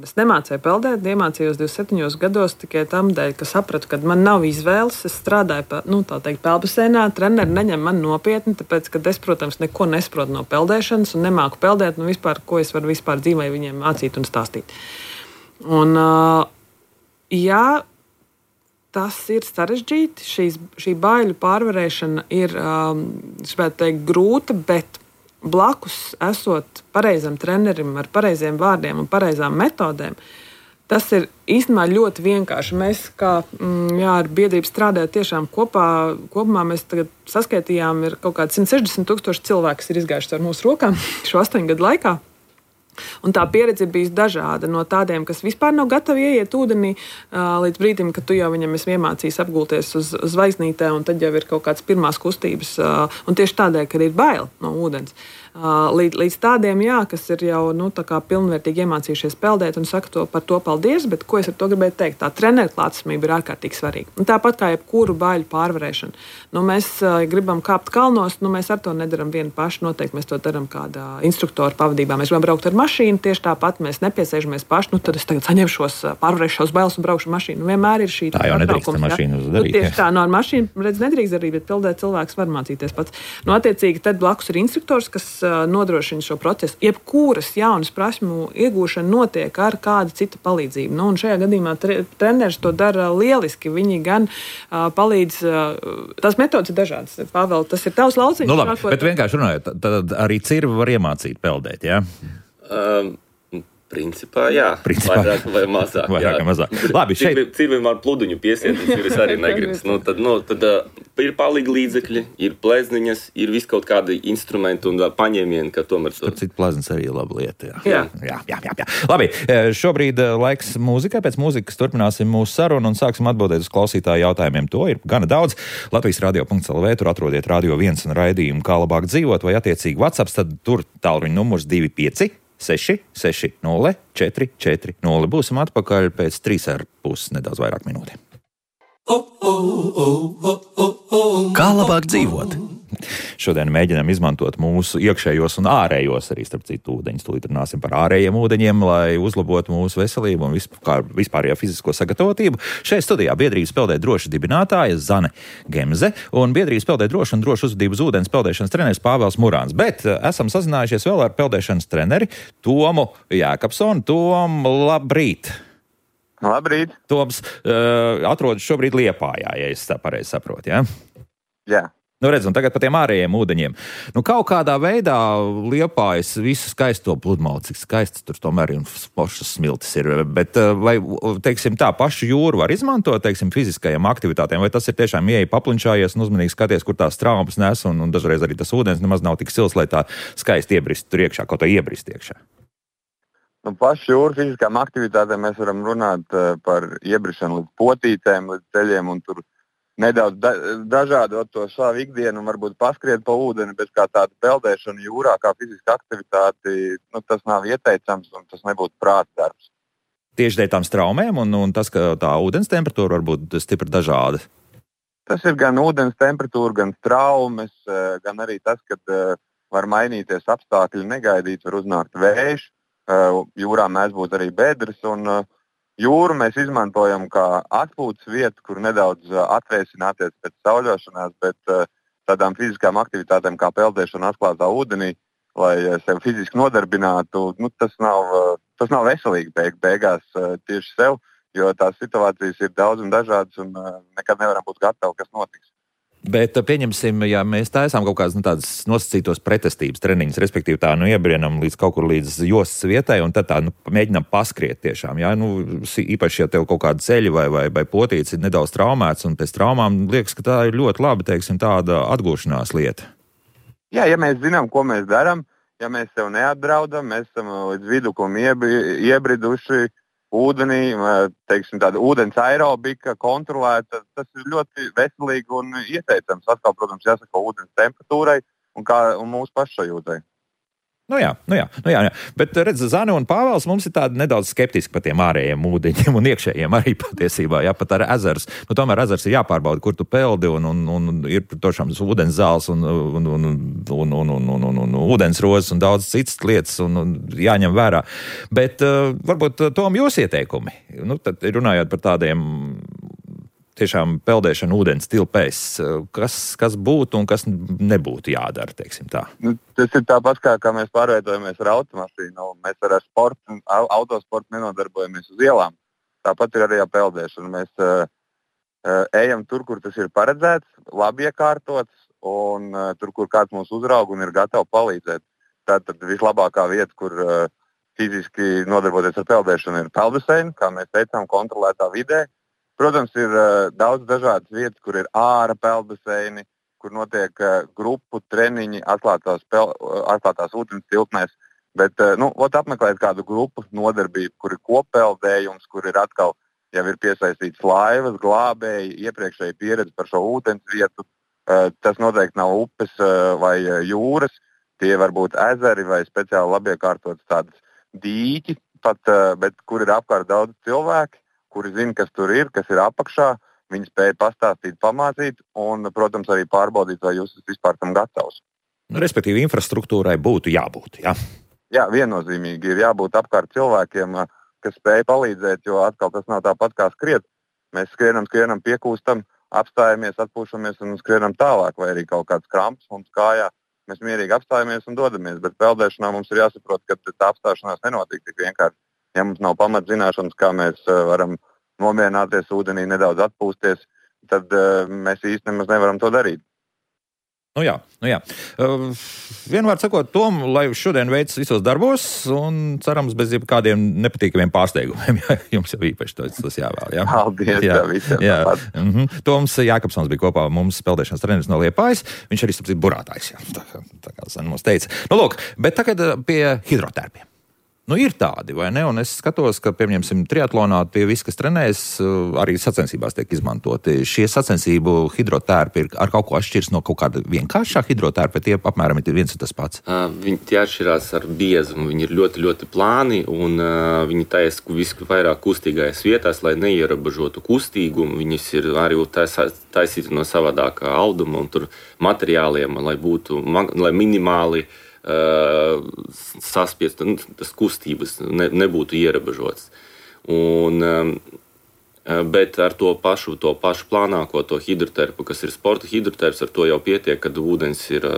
Es nemācēju peldēt, iemācījos 27 gados tikai tam dēļ, ka sapratu, ka man nav izvēles. Es strādāju peldbaseinā, treneri neņem man nopietni, tāpēc, ka es, protams, neko nesaprotu no peldēšanas un nemāku peldēt, vispār, ko es varu vispār dzīvē viņiem mācīt un stāstīt. Un, tas ir sarežģīti, šī baiļu pārvarēšana ir, grūta, bet blakus esot pareizam trenerim ar pareiziem vārdiem un pareizām metodēm, tas ir īstenībā ļoti vienkārši. Mēs, kā ar biedrību strādājot tiešām kopumā mēs tagad saskaitījām, ir kaut kādi 160,000 cilvēki, kas ir izgājuši ar mūsu rokām šo 8 gadu laikā. Un tā pieredze ir bijusi dažāda no tādiem, kas vispār nav gatavi ieiet ūdenī līdz brīdim, kad tu jau viņam esi iemācījis apgulties uz zvaigznītē, un tad jau ir kaut kādas pirmās kustības, un tieši tādēļ, ka ir bail no ūdens. Līdz tādiem, kas ir jau pilnvērtīgi iemācījušies peldēt un saka par to paldies, bet ko es ar to gribēju teikt? Tā treneru klātesamība ir ārkārtīgi svarīga. Un tāpat kā jebkuru baiļu pārvarēšanu. Mēs gribam kāpt kalnos, mēs ar to nedaram vieni paši, noteikti mēs to daram kādā instruktora pavadībā. Mēs gribam braukt ar mašīnu, tieši tāpat mēs nepiesēžamies paši, tad es tagad saņemšos, pārvarēšos bailes un braukšu mašīnu. Vienmēr ir šī tā jau nedrīkst ar mašīnu darīt. Tieši tā, ar mašīnu nedrīkst darīt, bet peldēt cilvēks var mācīties pats. Attiecīgi, tad blakus ir instruktors, kas nodrošina šo procesu. Jebkuras jaunas prasmu iegūšana notiek ar kādu citu palīdzību. Un šajā gadījumā treneris to dara lieliski. Viņi gan palīdz, tās metodas ir dažādas. Pāvēl, tas ir tavs lauciņš. Labi, bet vienkārši runājot, tad arī cirvi var iemācīt peldēt, jā? Principā, jā. Vairāk vai mazāk. Labi, Cirvim ar pluduņu piesiet, es arī negribas. Tad ir palīgi līdzekļi, ir plezniņas, ir viss kaut kādi instrumenti un paņēmieni, ka tomēr... Cits pleznis arī ir laba lieta, jā. Jā. Labi, šobrīd laiks mūzikai. Pēc mūzikas turpināsim mūsu sarunu un sāksim atbildēt uz klausītāju jautājumiem. To ir gana daudz. Latvijas radio.lv, tur atrodiet Radio 1 un raidījumu Kā labāk dzīvot, vai attiecīgi WhatsApp, tad tur tālruņa numurs 25 660 440. Būsim atpakaļ pēc 3,5 nedaudz vairāk minūtēm. Kā labāk dzīvot? Šodien mēģinām izmantot mūsu iekšējos un ārējos, arī starp citu ūdeņus. Tūlīt runāsim par ārējiem ūdeņiem, lai uzlabotu mūsu veselību un vispārējo fizisko sagatavotību. Šeit studijā biedrības Peldēt droši dibinātāja Zane Gemze un biedrības Peldēt droši un droši uzvedību uz ūdens peldēšanas treneris Pāvels Murāns. Bet esam sazinājušies vēl ar peldēšanas treneri Tomu Jākapsonu. Tom, labrīt! Labrīt! Toms atrodas šobrīd Liepājā, ja es tā pareizi saprotu, jā? Jā. Nu, redz, un tagad par tiem ārējiem ūdeņiem. Nu, kaut kādā veidā Liepājas visu skaisto pludmali, cik skaists tur tomēr ir un foršas smiltis ir. Bet vai, teiksim tā, pašu jūru var izmantot, teiksim, fiziskajām aktivitātēm, vai tas ir tiešām ieeja paplinčājies un uzmanīgi skaties, kur tās traumas nes, un dažreiz arī tas ūdens nemaz nav tik sils, lai tā skaisti iebrist tur iekšā, kaut kā iebrist iekšā. Nu, pašu jūru fiziskām aktivitātēm mēs varam runāt par iebrišanu līdz potītēm, līdz ceļiem un tur nedaudz dažādot to savu ikdienu un varbūt paskriet pa ūdeni, bet kā tāda peldēšana jūrā, kā fiziska aktivitāte, tas nav ieteicams un tas nebūtu prāta darbs. Tieši dēļ tām straumēm un tas, ka tā ūdens temperatūra var būt stipri dažāda? Tas ir gan ūdens temperatūra, gan traumas, gan arī tas, ka var mainīties apstākļi, negaidīt, var uznākt vējš. Jūrā mēs būtu arī bedres, un jūru mēs izmantojam kā atpūtas vietu, kur nedaudz atvēsināties pēc sauļošanās, bet tādām fiziskām aktivitātēm kā peldēšana atklātā ūdenī, lai sev fiziski nodarbinātu, tas nav veselīgi beigās tieši sev, jo tās situācijas ir daudz un dažādas, un nekad nevaram būt gatavi, kas notiks. Bet pieņemsim, ja mēs taisām kaut kādas tādas nosacītos pretestības treniņus, respektīvi tā, iebrienam līdz kaut kur līdz jostas vietai un tad tā, mēģinam paskriet tiešām, jā, īpaši, ja tev kaut kāda ceļa vai potīts ir nedaudz traumēts un pēc traumām liekas, ka tā ir ļoti labi, teiksim, tāda atgūšanās lieta. Jā, ja mēs zinām, ko mēs darām, ja mēs sev neatdraudam, mēs esam līdz vidukum iebriduši, ūdenī, teiksim, tāda ūdens aerobika kontrolēta, tas ir ļoti veselīgi un ieteicams. Atkal, protams, jāsaka ūdens temperatūrai un mūsu pašsajūtai. Nu jā. Bet redz, Zane un Pāvels mums ir tādi nedaudz skeptiski par tiem ārējiem ūdeņiem un iekšējiem arī patiesībā, jā, pat ar ezers. Tomēr ezers ir jāpārbauda, kur tu peldi un ir tošām ūdens zāles un ūdens rozes un daudz citas lietas un jāņem vērā. Bet varbūt Tom jūs ieteikumi, tad runājot par tādiem tiešām peldēšana ūdens tilpēs, kas būtu un kas nebūtu jādara, teiksim tā? Tas ir tāpat, kā mēs pārveidojamies ar automašīnu. Mēs ar autosportu nenodarbojamies uz ielām. Tāpat ir arī ar peldēšanu. Mēs ejam tur, kur tas ir paredzēts, labi iekārtots, un tur, kur kāds mūs uzrauga un ir gatavs palīdzēt. Tātad vislabākā vieta, kur fiziski nodarboties ar peldēšanu, ir peldbaseini, kā mēs teicām, kontrolētā vidē. Protams, ir daudz dažādas vietas, kur ir ārā peldbaseini, kur notiek grupu treniņi atklātās ūdens tilpnēs. Bet apmeklēt kādu grupu nodarbību, kur ir koppeldējums, kur ir atkal jau ir piesaistīts laivas, glābēji, iepriekšēji pieredze par šo ūdens vietu. Tas noteikti nav upes vai jūras, tie var būt ezeri vai speciāli labiekārtotas tādas dīķi, bet kur ir apkārt daudz cilvēki, kuri zina, kas tur ir, kas ir apakšā, viņi spēja pastāstīt, pamācīt un, protams, arī pārbaudīt, vai jūs esat vispār tam gatavs. Respektīvi, infrastruktūrai būtu jābūt, jā? Jā, viennozīmīgi ir jābūt apkārt cilvēkiem, kas spēja palīdzēt, jo atkal tas nav tāpat kā skriet. Mēs skrienam, piekūstam, apstājamies, atpūšamies un skrienam tālāk, vai arī kaut kāds kramps mums kājā. Mēs mierīgi apstājamies un dodamies, bet peldēšanā mums ir jāsaprot, ka tā apstāšanās nenotiek tik vienkārši. Ja mums nav pamatzināšanas, kā mēs varam nomierināties ūdenī, nedaudz atpūsties, tad mēs īsti nemaz nevaram to darīt. Nu jā. Vienvārds sakot, Tom, lai šodien veicas visos darbos un cerams bez jebkādiem nepatīkamiem pārsteigumiem. Jums jau īpaši tas jāvēl. Jā? Paldies, visiem. Toms Jākapsons bija kopā mums peldēšanas treneris no Liepājas. Viņš arī starp citu burātājs. Tā kā Zane mums teica. Lūk, bet tagad pie hidrotērpiem. Ir tādi, vai ne? Un es skatos, ka, piemēram, triatlonā tie visi, kas trenējas, arī sacensībās tiek izmantoti. Šie sacensību hidrotērpi ir ar kaut ko atšķirs no kaut kāda vienkāršā hidrotērpa, tie apmēram ir viens un tas pats. Viņi tie atšķirās ar biezumu. Viņi ir ļoti, ļoti plāni un viņi taisa visu vairāk kustīgais vietās, lai neierobežotu kustīgumu. Viņas ir arī taisīti no savādākā auduma un tur materiāliem, lai minimāli saspiest, tas kustības nebūtu ierobežots. Bet ar to pašu plānāko, to hidroterpu, kas ir sporta hidroterps, ar to jau pietiek, kad ūdens ir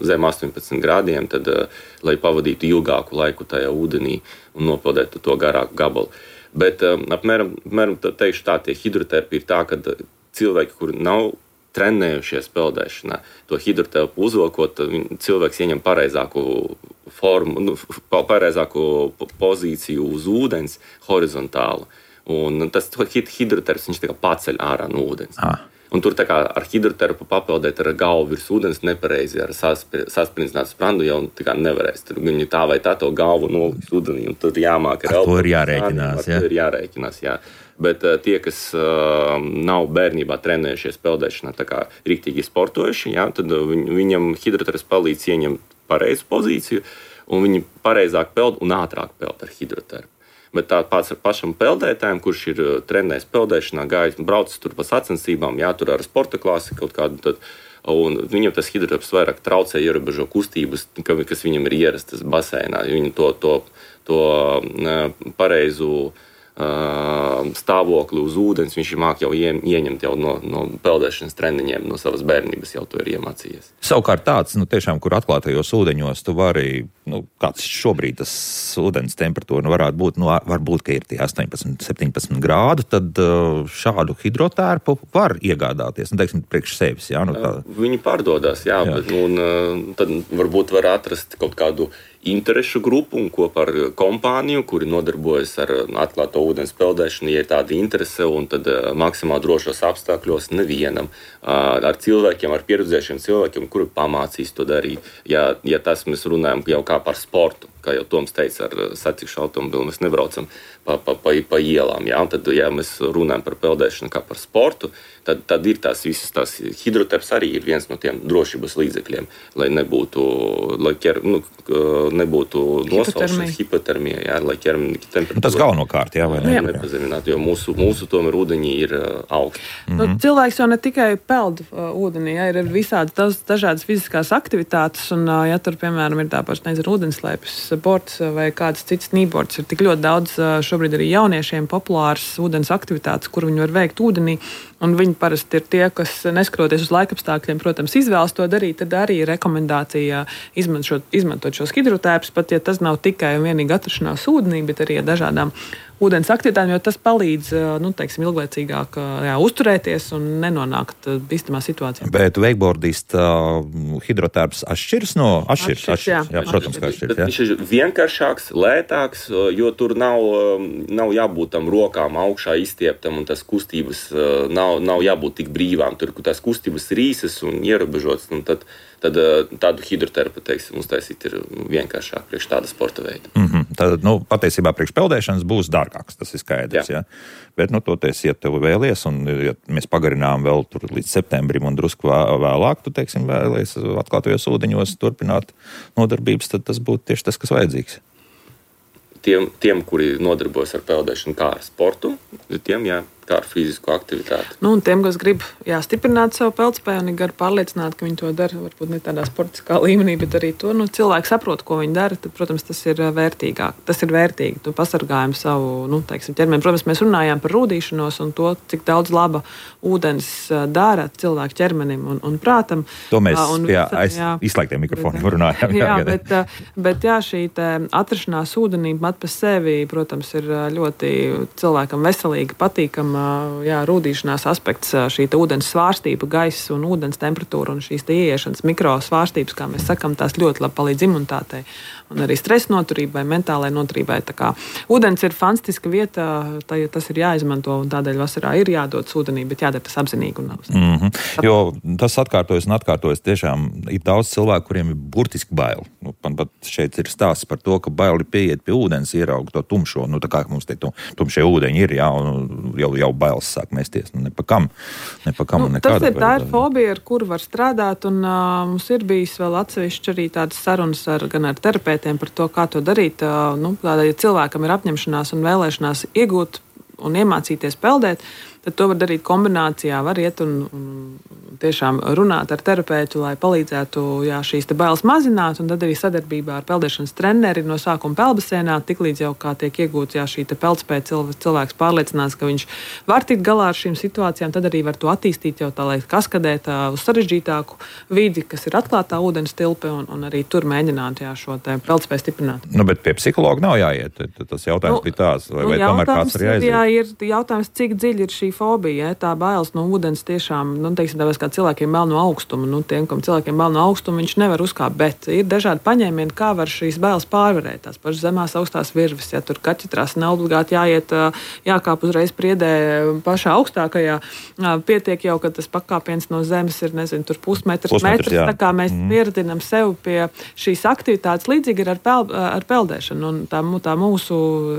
zem 18 grādiem, tad, lai pavadītu ilgāku laiku tajā ūdenī un nopeldētu to garāku gabalu. Bet apmēram teikšu tā, tie hidroterpi ir tā, ka cilvēki, kuri nav trenējušies peldēšanā, to hidrotelpu uzvelkot, cilvēks ieņem pareizāku formu, pareizāku pozīciju uz ūdens horizontālu. Un tas hidroterps, viņš tā kā paceļ ārā no ūdens. Un tur tā kā ar hidroterpu papeldēt ar galvu virs ūdens nepareizi, ar sasprindzinātu sprandu jau tā kā nevarēs. Tur viņi tā vai tā to galvu nolikt ūdenī, un tur jāmāk ar to ir jārēķinās, jā. To ir jārēķinās, jā. Bet tie, kas nav bērnībā trenējušies peldēšanā, tā kā riktīgi sportojuši, jā, tad viņam hidroterps palīdz ieņemt pareizu pozīciju, un viņi pareizāk peld un ātrāk peld ar hidroterpu. Bet tā pats ar pašam peldētājiem, kurš ir trenējis peldēšanā, gājis, braucis tur pa sacensībām, tur ar sporta klasi kaut kādu, un viņam tas hidroterps vairāk traucē, ierobežo kustības, kas viņam ir ierastas baseinā. Viņi to pareizu stāvokli uz ūdens, viņš māk jau ieņemt jau no peldēšanas treniņiem, no savas bērnības jau to ir iemācījies. Savukārt tāds, tiešām, kur atklātajos ūdeņos tu vari, kāds šobrīd tas ūdens temperatūra varētu būt, varbūt, ka ir tie 18, 17 grādu, tad šādu hidrotērpu var iegādāties, teiksim, priekš sevis, jā? Viņi pārdodās, jā. Bet, tad varbūt var atrast kaut kādu interešu grupu un kopā ar kompāniju, kuri nodarbojas ar atklāto ūdens peldēšanu, ja ir tāda interese, un tad maksimāli drošos apstākļos nevienam. Ar cilvēkiem, ar pieredzējušiem cilvēkiem, kuri pamācīs to darīt. Ja tas mēs runājam jau kā par sportu, kā jau Toms teica, ar sacikšu automobilu mēs nebraucam pa ielām. Jā? Un tad, ja mēs runājam par peldēšanu kā par sportu, tad ir tās visas tās hidroterps arī ir viens no tiem drošības līdzekļiem, lai nebūtu nosalšanas, hipotermija, jā, lai ķermeņa temperatūra. Tas galvenokārt, jā, vai ne? Nepazeminātu, jo mūsu tomēr ūdeņi ir augsti. Cilvēks jau ne tikai peld ūdenī, jā, ir visādi dažādas fiziskās aktivitātes, un ja tur, piemēram, ir tāpēc, ūdenslēpes, bords vai kāds cits snībords, ir tik ļoti daudz šobrīd arī jauniešiem populāras ūdens aktivitātes, kur viņi var veikt ūdenī, un viņi parasti ir tie, kas neskatoties uz laikapstākļiem, protams, izvēlas to darīt, tad arī ir rekomendācija izmantot šos hidrotērpus, pat ja tas nav tikai un vienīgi atrašanās ūdenī, bet arī ar dažādām ūdens aktivitātēm, jo tas palīdz, ilglaicīgāk uzturēties un nenonākt bīstamā situācijā. Bet wakeboardista hidrotērps atšķiras? Jā, protams, ka atšķiras. Viņš ir vienkāršāks, lētāks, jo tur nav jābūt tam rokām augšā izstieptam, un tas kustības nav jābūt tik brīvām. Tur tās kustības ir īsas un ierobežotas, un tad tādu hidroterpu, uztaisīt ir vienkāršāk priekš tāda sporta veida. Tad, patiesībā priekš peldēšanas būs dārgāks, tas ir skaidrs, jā. Bet, toties, ja tev vēlies, un ja mēs pagarinām vēl tur līdz septembrim un drusku vēlāk, tu, vēlies atklātajos ūdeņos turpināt nodarbības, tad tas būtu tieši tas, kas vajadzīgs. Tiem, kuri nodarbojas ar peldēšanu kā ar sportu, tiem, kā ar fizisku aktivitāti. Un tiem, kas grib stiprināt savu peldspēju un ir gari pārliecināti, ka viņi to dara, varbūt ne tādā sportiskā līmenī, bet arī to, cilvēki saprot, ko viņi dara, tad, protams, tas ir vērtīgāk. Tas ir vērtīgi. Tu pasargājam savu, ķermeni. Protams, mēs runājām par rūdīšanos un to, cik daudz laba ūdens dara cilvēku ķermenim un prātam. To mēs izslēgtiem mikrofoniem runājām. Bet šī atrašanās ūdenī pat pa sevi, protams, ir ļoti cilvēkam veselīgi, patīkam. Rūdīšanās aspekts, šī ūdens svārstība, gaisa un ūdens temperatūra un šīs ieiešanas mikrosvārstības, kā mēs sakam, tās ļoti labi palīdz imunitātei un arī stresa noturībai, mentālai noturībai. Tā kā ūdens ir fantastiska vieta, tas ir jāizmanto un tādēļ vasarā ir jādodas ūdenī, bet jādara tas apzinīgi un nav. Jo tas atkārtojas, tiešām ir daudz cilvēku, kuriem ir burtiski baili. Man pat šeit ir stāsts par to, ka baili pieiet pie ūdens, ieraugt to tumšo, tā kā mums te tumšie ūdeņi ir, jau bailes sāk mēsties, nepakam un nekādā veidā. Tā ir fobija, ar kuru var strādāt, un mums ir bijis vēl atsevišķi arī tādas sarunas gan ar terapeitiem par to, kā to darīt. Ja cilvēkam ir apņemšanās un vēlēšanās iegūt un iemācīties peldēt, tad to var darīt kombinācijā, var iet un tiešām runāt ar terapeitu, lai palīdzētu šīs bailes mazināt, un tad arī sadarbībā ar peldēšanas treneri no sākuma peldbaseinā, tiklīdz jau kā tiek iegūta šī peldspēja, cilvēks pārliecinās, ka viņš var tikt galā ar šīm situācijām, tad arī var to attīstīt jau tā, lai kaskadēt uz sarežģītāku vidi, kas ir atklātā ūdens tilpe, un arī tur mēģināt šo peldspēju stiprināt. Bet pie psihologa nav jāiet, tas jautājums bija tās, vai tomēr kāds ir jāiziet? Ir jautājums, cik dziļi ir šī fobija, tā bailes no ūdens tiešām, tāpēc kā cilvēkiem bail no augstuma. Nu, tiem, kam cilvēkiem bail no augstuma, viņš nevar uzkāpt, bet ir dažādi paņēmieni, kā var šīs bailes pārvarēt. Tās pašas zemās augstās virves, ja tur kaķetrās nav obligāti jākāp uzreiz priedē pašā augstākajā. Pietiek jau, ka tas pakāpiens no zemes ir, nezinu, tur pusmetrs. Tā kā mēs pieradinam sev pie šīs aktivitātes, līdzīgi ir ar peldēšanu. Un tā mūsu,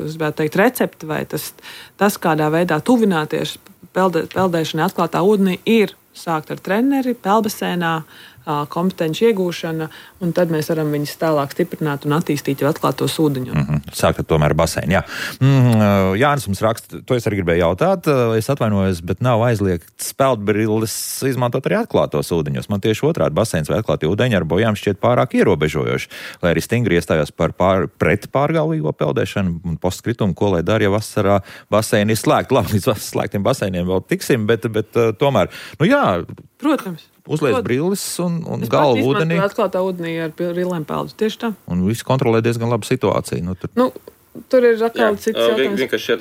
es gribētu teikt, recepte vai tas kādā veidā tuvināties peldēšanai atklātā ūdenī ir sākt ar treneri, peldbasēnā, kompetenci iegūšana, un tad mēs varam viņus tālāk stiprināt un attīstīt jau atklātos ūdeņos. Sākt ar tomēr basēnu, jā. Jānis mums raksta, to es arī gribēju jautāt, es atvainojos, bet nav aizliegts peldbrilles izmantot arī atklātos ūdeņos. Man tieši otrādi basēns vai atklātie ūdeņi ar bojām šķiet pārāk ierobežojoši, lai arī stingri iestājās pret pārgalvīgo peldēšanu un postkritumu, ko lai dara, ja vasarā basēni ir slēgti. Labi, līdz slēgtiem basēniem vēl tiksim, bet tomēr, jā. Protams. Uzliec brilles un galvu ūdenī. Atklātā ūdenī ar brillēm peldu. Tieši tā. Un viss kontrolē diezgan labu situāciju. Tur ir atkal cits jautājums. Vienkārši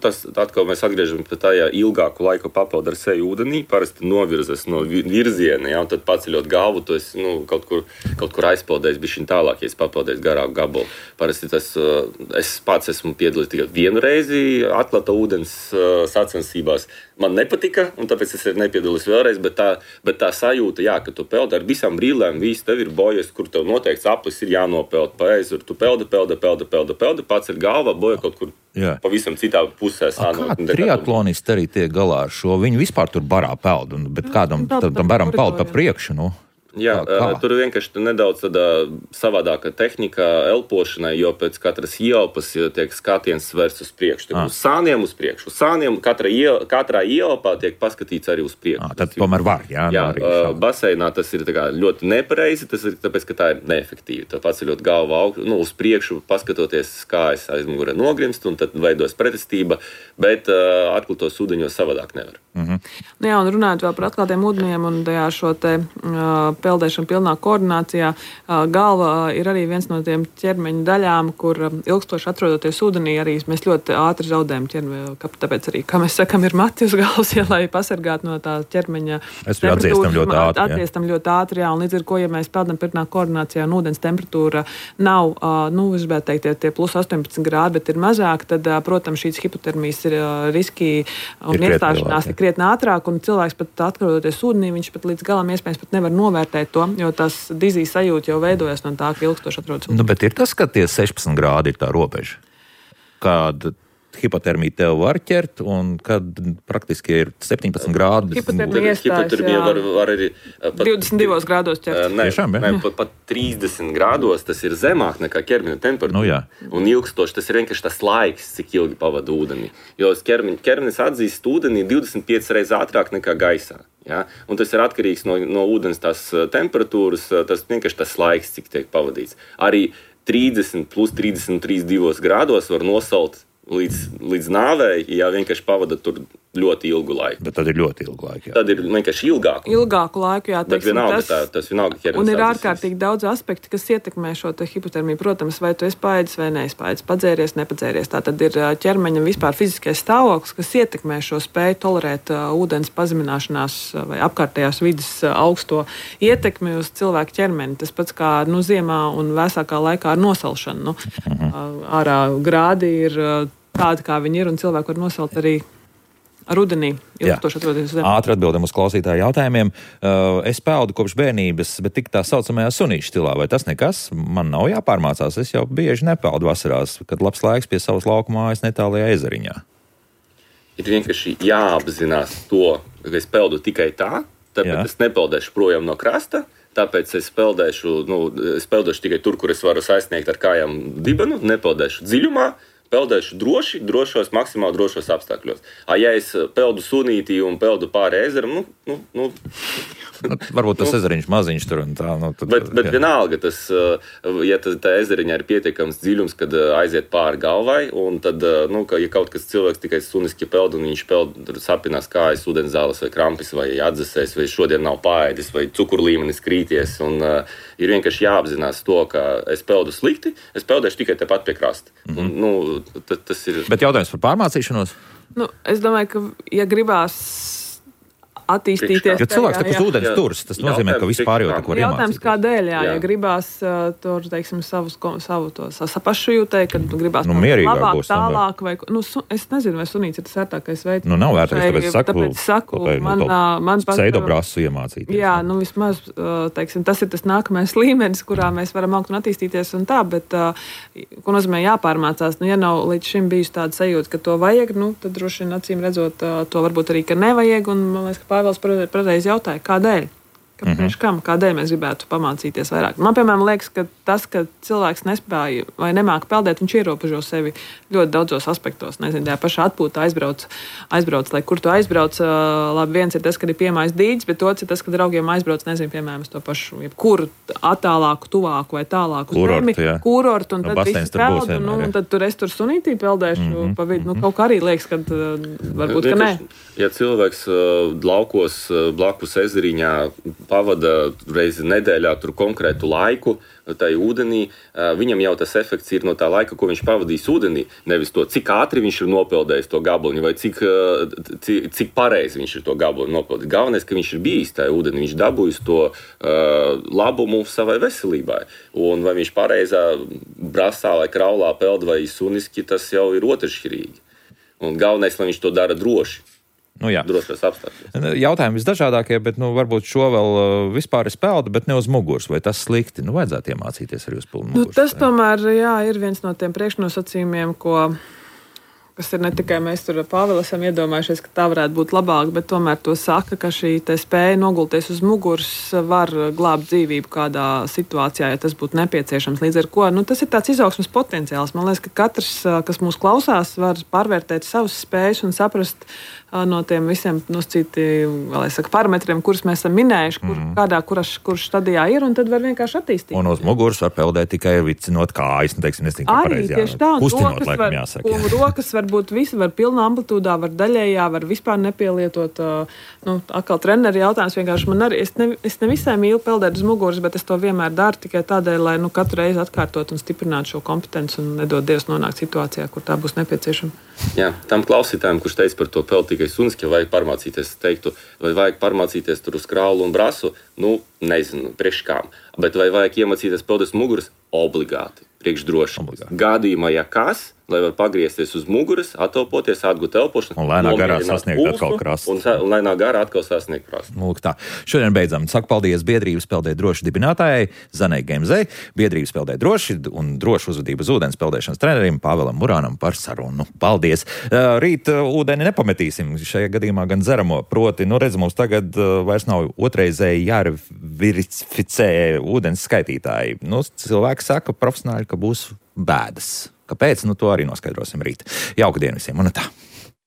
tas atkal mēs atgriežamies pie tā, ja ilgāku laiku papeld ar seju ūdenī, parasti novirzas no virziena, un tad paceļot galvu, tu esi kaut kur aizpeldējis bišķiņ tālāk, ja esi papeldējis garāku gabalu. Parasti es pats esmu piedalījies tikai vienu reizi atklāta ūdens sacensībās. Man nepatika, un tāpēc es arī nepiedalījos vēlreiz, bet tā sajūta, ka tu peldi ar visām brīlēm, viss tev ir bojas, kur tev noteikts aplis ir jānopeld pa ezeru. Tu peldi, pats ir galva, boja kaut kur pavisam citā pusē. Kā triatlonisti arī tiek galā ar šo? Viņi vispār tur barā peld, bet kādam baram peld pa priekšu, Tur vienkārši nedaudz savādāka tehnika elpošanai, jo pēc katras ieelpas tiek skatiens svērts uz priekšu. Uz sāniem uz priekšu. Uz sāniem katrā ieelpā tiek paskatīts arī uz priekšu. Tad tomēr var, baseinā tas ir ļoti nepareizi, tas ir tāpēc, ka tā ir neefektīvi. Tā paceļot galvu uz priekšu, paskatoties, kā es aizmugurē nogrimst, un tad veidos pretestība, bet atklātos ūdeņos savādāk nevar. Un runājot vēl par atklātiem ūdeņiem un šo te peldēšana pilnā koordinācijā. Galva ir arī viens no tiem ķermeņa daļām, kur ilgstoši atrodoties ūdenī, arī mēs ļoti ātri zaudējam ķermeņa. Tāpēc arī, kā mēs sakam, ir mati uz galvas, lai pasargātu no tā ķermeņa temperatūras. Atdziestam ļoti ātri, un līdz ar ko, ja mēs peldam pilnā koordinācijā un ūdens temperatūra nav, es gribētu teikt, tie plus 18 grādi, bet ir mazāk, tad, protams, šīs hipotermijas ir riski un iestāšanās ir krietni ātrāk, un cilvēks pat atrodoties ūdenī, viņš pat līdz galam iespējams pat nevar novērtēt to, jo tas dizijas sajūta jau veidojas no tā, ka ilgstoši atrodas ūdenī. Bet ir tas, ka tie 16 grādi ir tā robeža, kāda hipotermija tev var ķert, un kad praktiski ir 17 grādi. Hipotermija var arī 22 grādos ķert. Pat 30 grādos tas ir zemāk nekā ķermeņa temperatūra. Un ilgstoši tas ir vienkārši tas laiks, cik ilgi pavada ūdenī. Jo ķermenis atzīst ūdenī 25 reizes ātrāk nekā gaisā. Un tas ir atkarīgs no ūdens tās temperatūras, tas vienkārši tas laiks, cik tiek pavadīts. Arī 30 plus 33 grādos var nosalt līdz nāvei, ja vienkārši pavada tur ļoti ilgu laiku. Bet tad ir ļoti ilgu laiku. Tad ir vienkārši ilgāku laiku, bet vienalga tas vienalga ķermenis. Un ir ārkārtīgi daudz aspekti, kas ietekmē šo hipotermiju. Protams, vai tu esi paēdis vai neizpaēdis, padzēries, nepadzēries. Tā tad ir ķermeņa vispār fiziskais stāvoklis, kas ietekmē šo spēju tolerēt ūdens pazemināšanās vai apkārtējās vidas augsto ietekmi uz cilvēku ķermeni. Tas pats kā ziemā un vēsākā laikā ar nosalšanu. Ārā grādi ir tādi, kā viņi ir, un cilvēki var nosalt arī rudenī. Ātri atbildam uz klausītāju jautājumiem. Es peldu kopš bērnības, bet tik tā saucamajā sunīšu stilā. Vai tas nekas? Man nav jāpārmācās. Es jau bieži nepeldu vasarās, kad labs laiks pie savas laukumājas netālajā ezeriņā. Ir vienkārši jāapzinās to, ka es peldu tikai tā, tāpēc es nepeldēšu projām no krasta. Tāpēc es peldēšu tikai tur, kur es varu sasniegt ar kājām dibenu, nepeldēšu dziļumā. Peldēšu drošos, maksimāli drošos apstākļos. Ja es peldu sunītī un peldu pāri ezeram, varbūt tas ezeriņš maziņš tur un tā. Bet vienalga, ja tā ezeriņā ir pietiekams dziļums, kad aiziet pāri galvai, un tad, ja kaut kas cilvēks tikai suniski peld, un viņš peld, sapinās kājas, ūdenzāles vai krampis, vai atzasēs, vai šodien nav paēdis, vai cukurlīmenis krīties, un ir vienkārši jāapzinās to, ka es peldu slikti, es peldēšu tikai tepat pie krasta. Tas ir. Bet jautājums par pārmācīšanos? Es domāju, ka, ja gribās attīstīties. Jo cilvēks uz ūdens turas, tas nozīmē, ka vispār jau neko var iemācīties. Jautājums, kādēļ, ja gribās tur, teiksim, savu to pašjūtē, kad gribās labāk, tālāk, vai, es nezinu, vai sunīts ir tas ērtākais veids. Nav vērtīgs, tāpēc saku, man pseidobrasu iemācīties. Jā, vismaz, teiksim, tas ir tas nākamais līmenis, kurā mēs varam augt un attīstīties un tā, bet, ko nozīmē jāpārmācās, ja nav līdz šim bijusi tāda sajūta, ka to vajag, tad droši vien acīm redzot, to varbūt arī, ka nevajag, un man liekas, ka Pāvils pareizi jautāja, kādēļ? Kāpēc, kādēļ mēs gribētu pamācīties vairāk? Man, piemēram, liekas, ka tas, ka cilvēks nespēja vai nemāka peldēt, viņš ierobežo sevi ļoti daudzos aspektos. Nezinu, tajā pašā atpūtā aizbrauc, lai kur tu aizbrauc. Labi, viens ir tas, kad ir piemājis dīķis, bet otrs ir tas, ka draugiem aizbrauc, nezinu, piemēram, to pašu, jebkuru attālāku, tuvāku vai tālāku zemi, kurortu, un tad visi peld, un tad tur es tur sunītī peldēšu pa vidu. Kaut kā arī liekas, ka varbūt, ka nē. Ja cilvēks laukos blakus ezeriņā pavada reizi nedēļā tur konkrētu laiku, tai ūdenī, viņam jau tas efekts ir no tā laika, ko viņš pavadīs ūdenī, nevis to, cik ātri viņš ir nopeldējis to gabaliņu, vai cik pareizi viņš ir to gabaliņu nopeldējis. Galvenais, ka viņš ir bijis tajā ūdenī, viņš dabūjis to labumu savai veselībai. Un vai viņš pareizā brasā vai kraulā peld vai suniski, tas jau ir otršķirīgi. Un galvenais, lai viņš to dara droši. Drošos apstākļos. Jautājumi visdažādākie, bet varbūt šo vēl vispār ir peldu, bet ne uz muguras. Vai tas slikti? Vajadzētu iemācīties arī uz pilnu muguras. Tas tomēr, ir viens no tiem priekšnosacījumiem, kas ir ne tikai mēs tur Pāvili esam iedomājušies, ka tā varētu būt labāk, bet tomēr to saka, ka šī spēja nogulties uz muguras var glābt dzīvību kādā situācijā, ja tas būtu nepieciešams. Līdz ar ko, tas ir tāds izaugsmes potenciāls. Man liekas, ka katrs, kas mūs klausās, var pārvērtēt savas spējas un saprast no tiem visiem parametriem, kurus mēs esam minējuši, kurš stadijā ir, un tad var vienkārši attīstīt. Un uz muguras var peldēt tikai vicinot kājas, arī tieši tā, kustinot, laikam jāsaka. Un rokas var būt visi, var pilnā amplitūdā, var daļējā, var vispār nepielietot. Atkal treneri jautājums vienkārši man arī, es ne visai mīlu peldēt uz muguras, bet es to vienmēr daru tikai tādēļ, lai katru reizi atkārtot un stiprinātu šo kompetenci un nedod Dievs nonākt situācijā, kur tā būs nepieciešama. Jā, tam klausītājiem, kurš teica par to peld tikai suniski, ja vajag pārmācīties, teiktu, vai vajag pārmācīties tur uz kraulu un brasu, nezinu, priekš kām. Bet vai vajag iemācīties peldēt uz muguras? Obligāti, priekš droši. Gadījumā, ja kas, lai var pagriezties uz muguras, attelpoties, atgūt elpošanu. Un lēnā garā sasniegt atkal krastu. Un lēnā garā atkal sasniegt krastu. Lūk tā. Šodien beidzam. Saku paldies Biedrības Peldēt droši dibinātājai Zanei Gemzei, Biedrības Peldēt droši un drošu uzvedību uz ūdens peldēšanas trenerim Pāvilam Murānam par sarunu. Paldies! Rīt ūdeni nepametīsim, šajā gadījumā gan dzeramo. Proti, redz, mums tagad vairs nav otrreizēji jāverificē ūdens skaitītāji. Cilvēki saka profesionāļi, ka būs bēdas. Kāpēc? To arī noskaidrosim rīt. Jauka diena visiem un tā!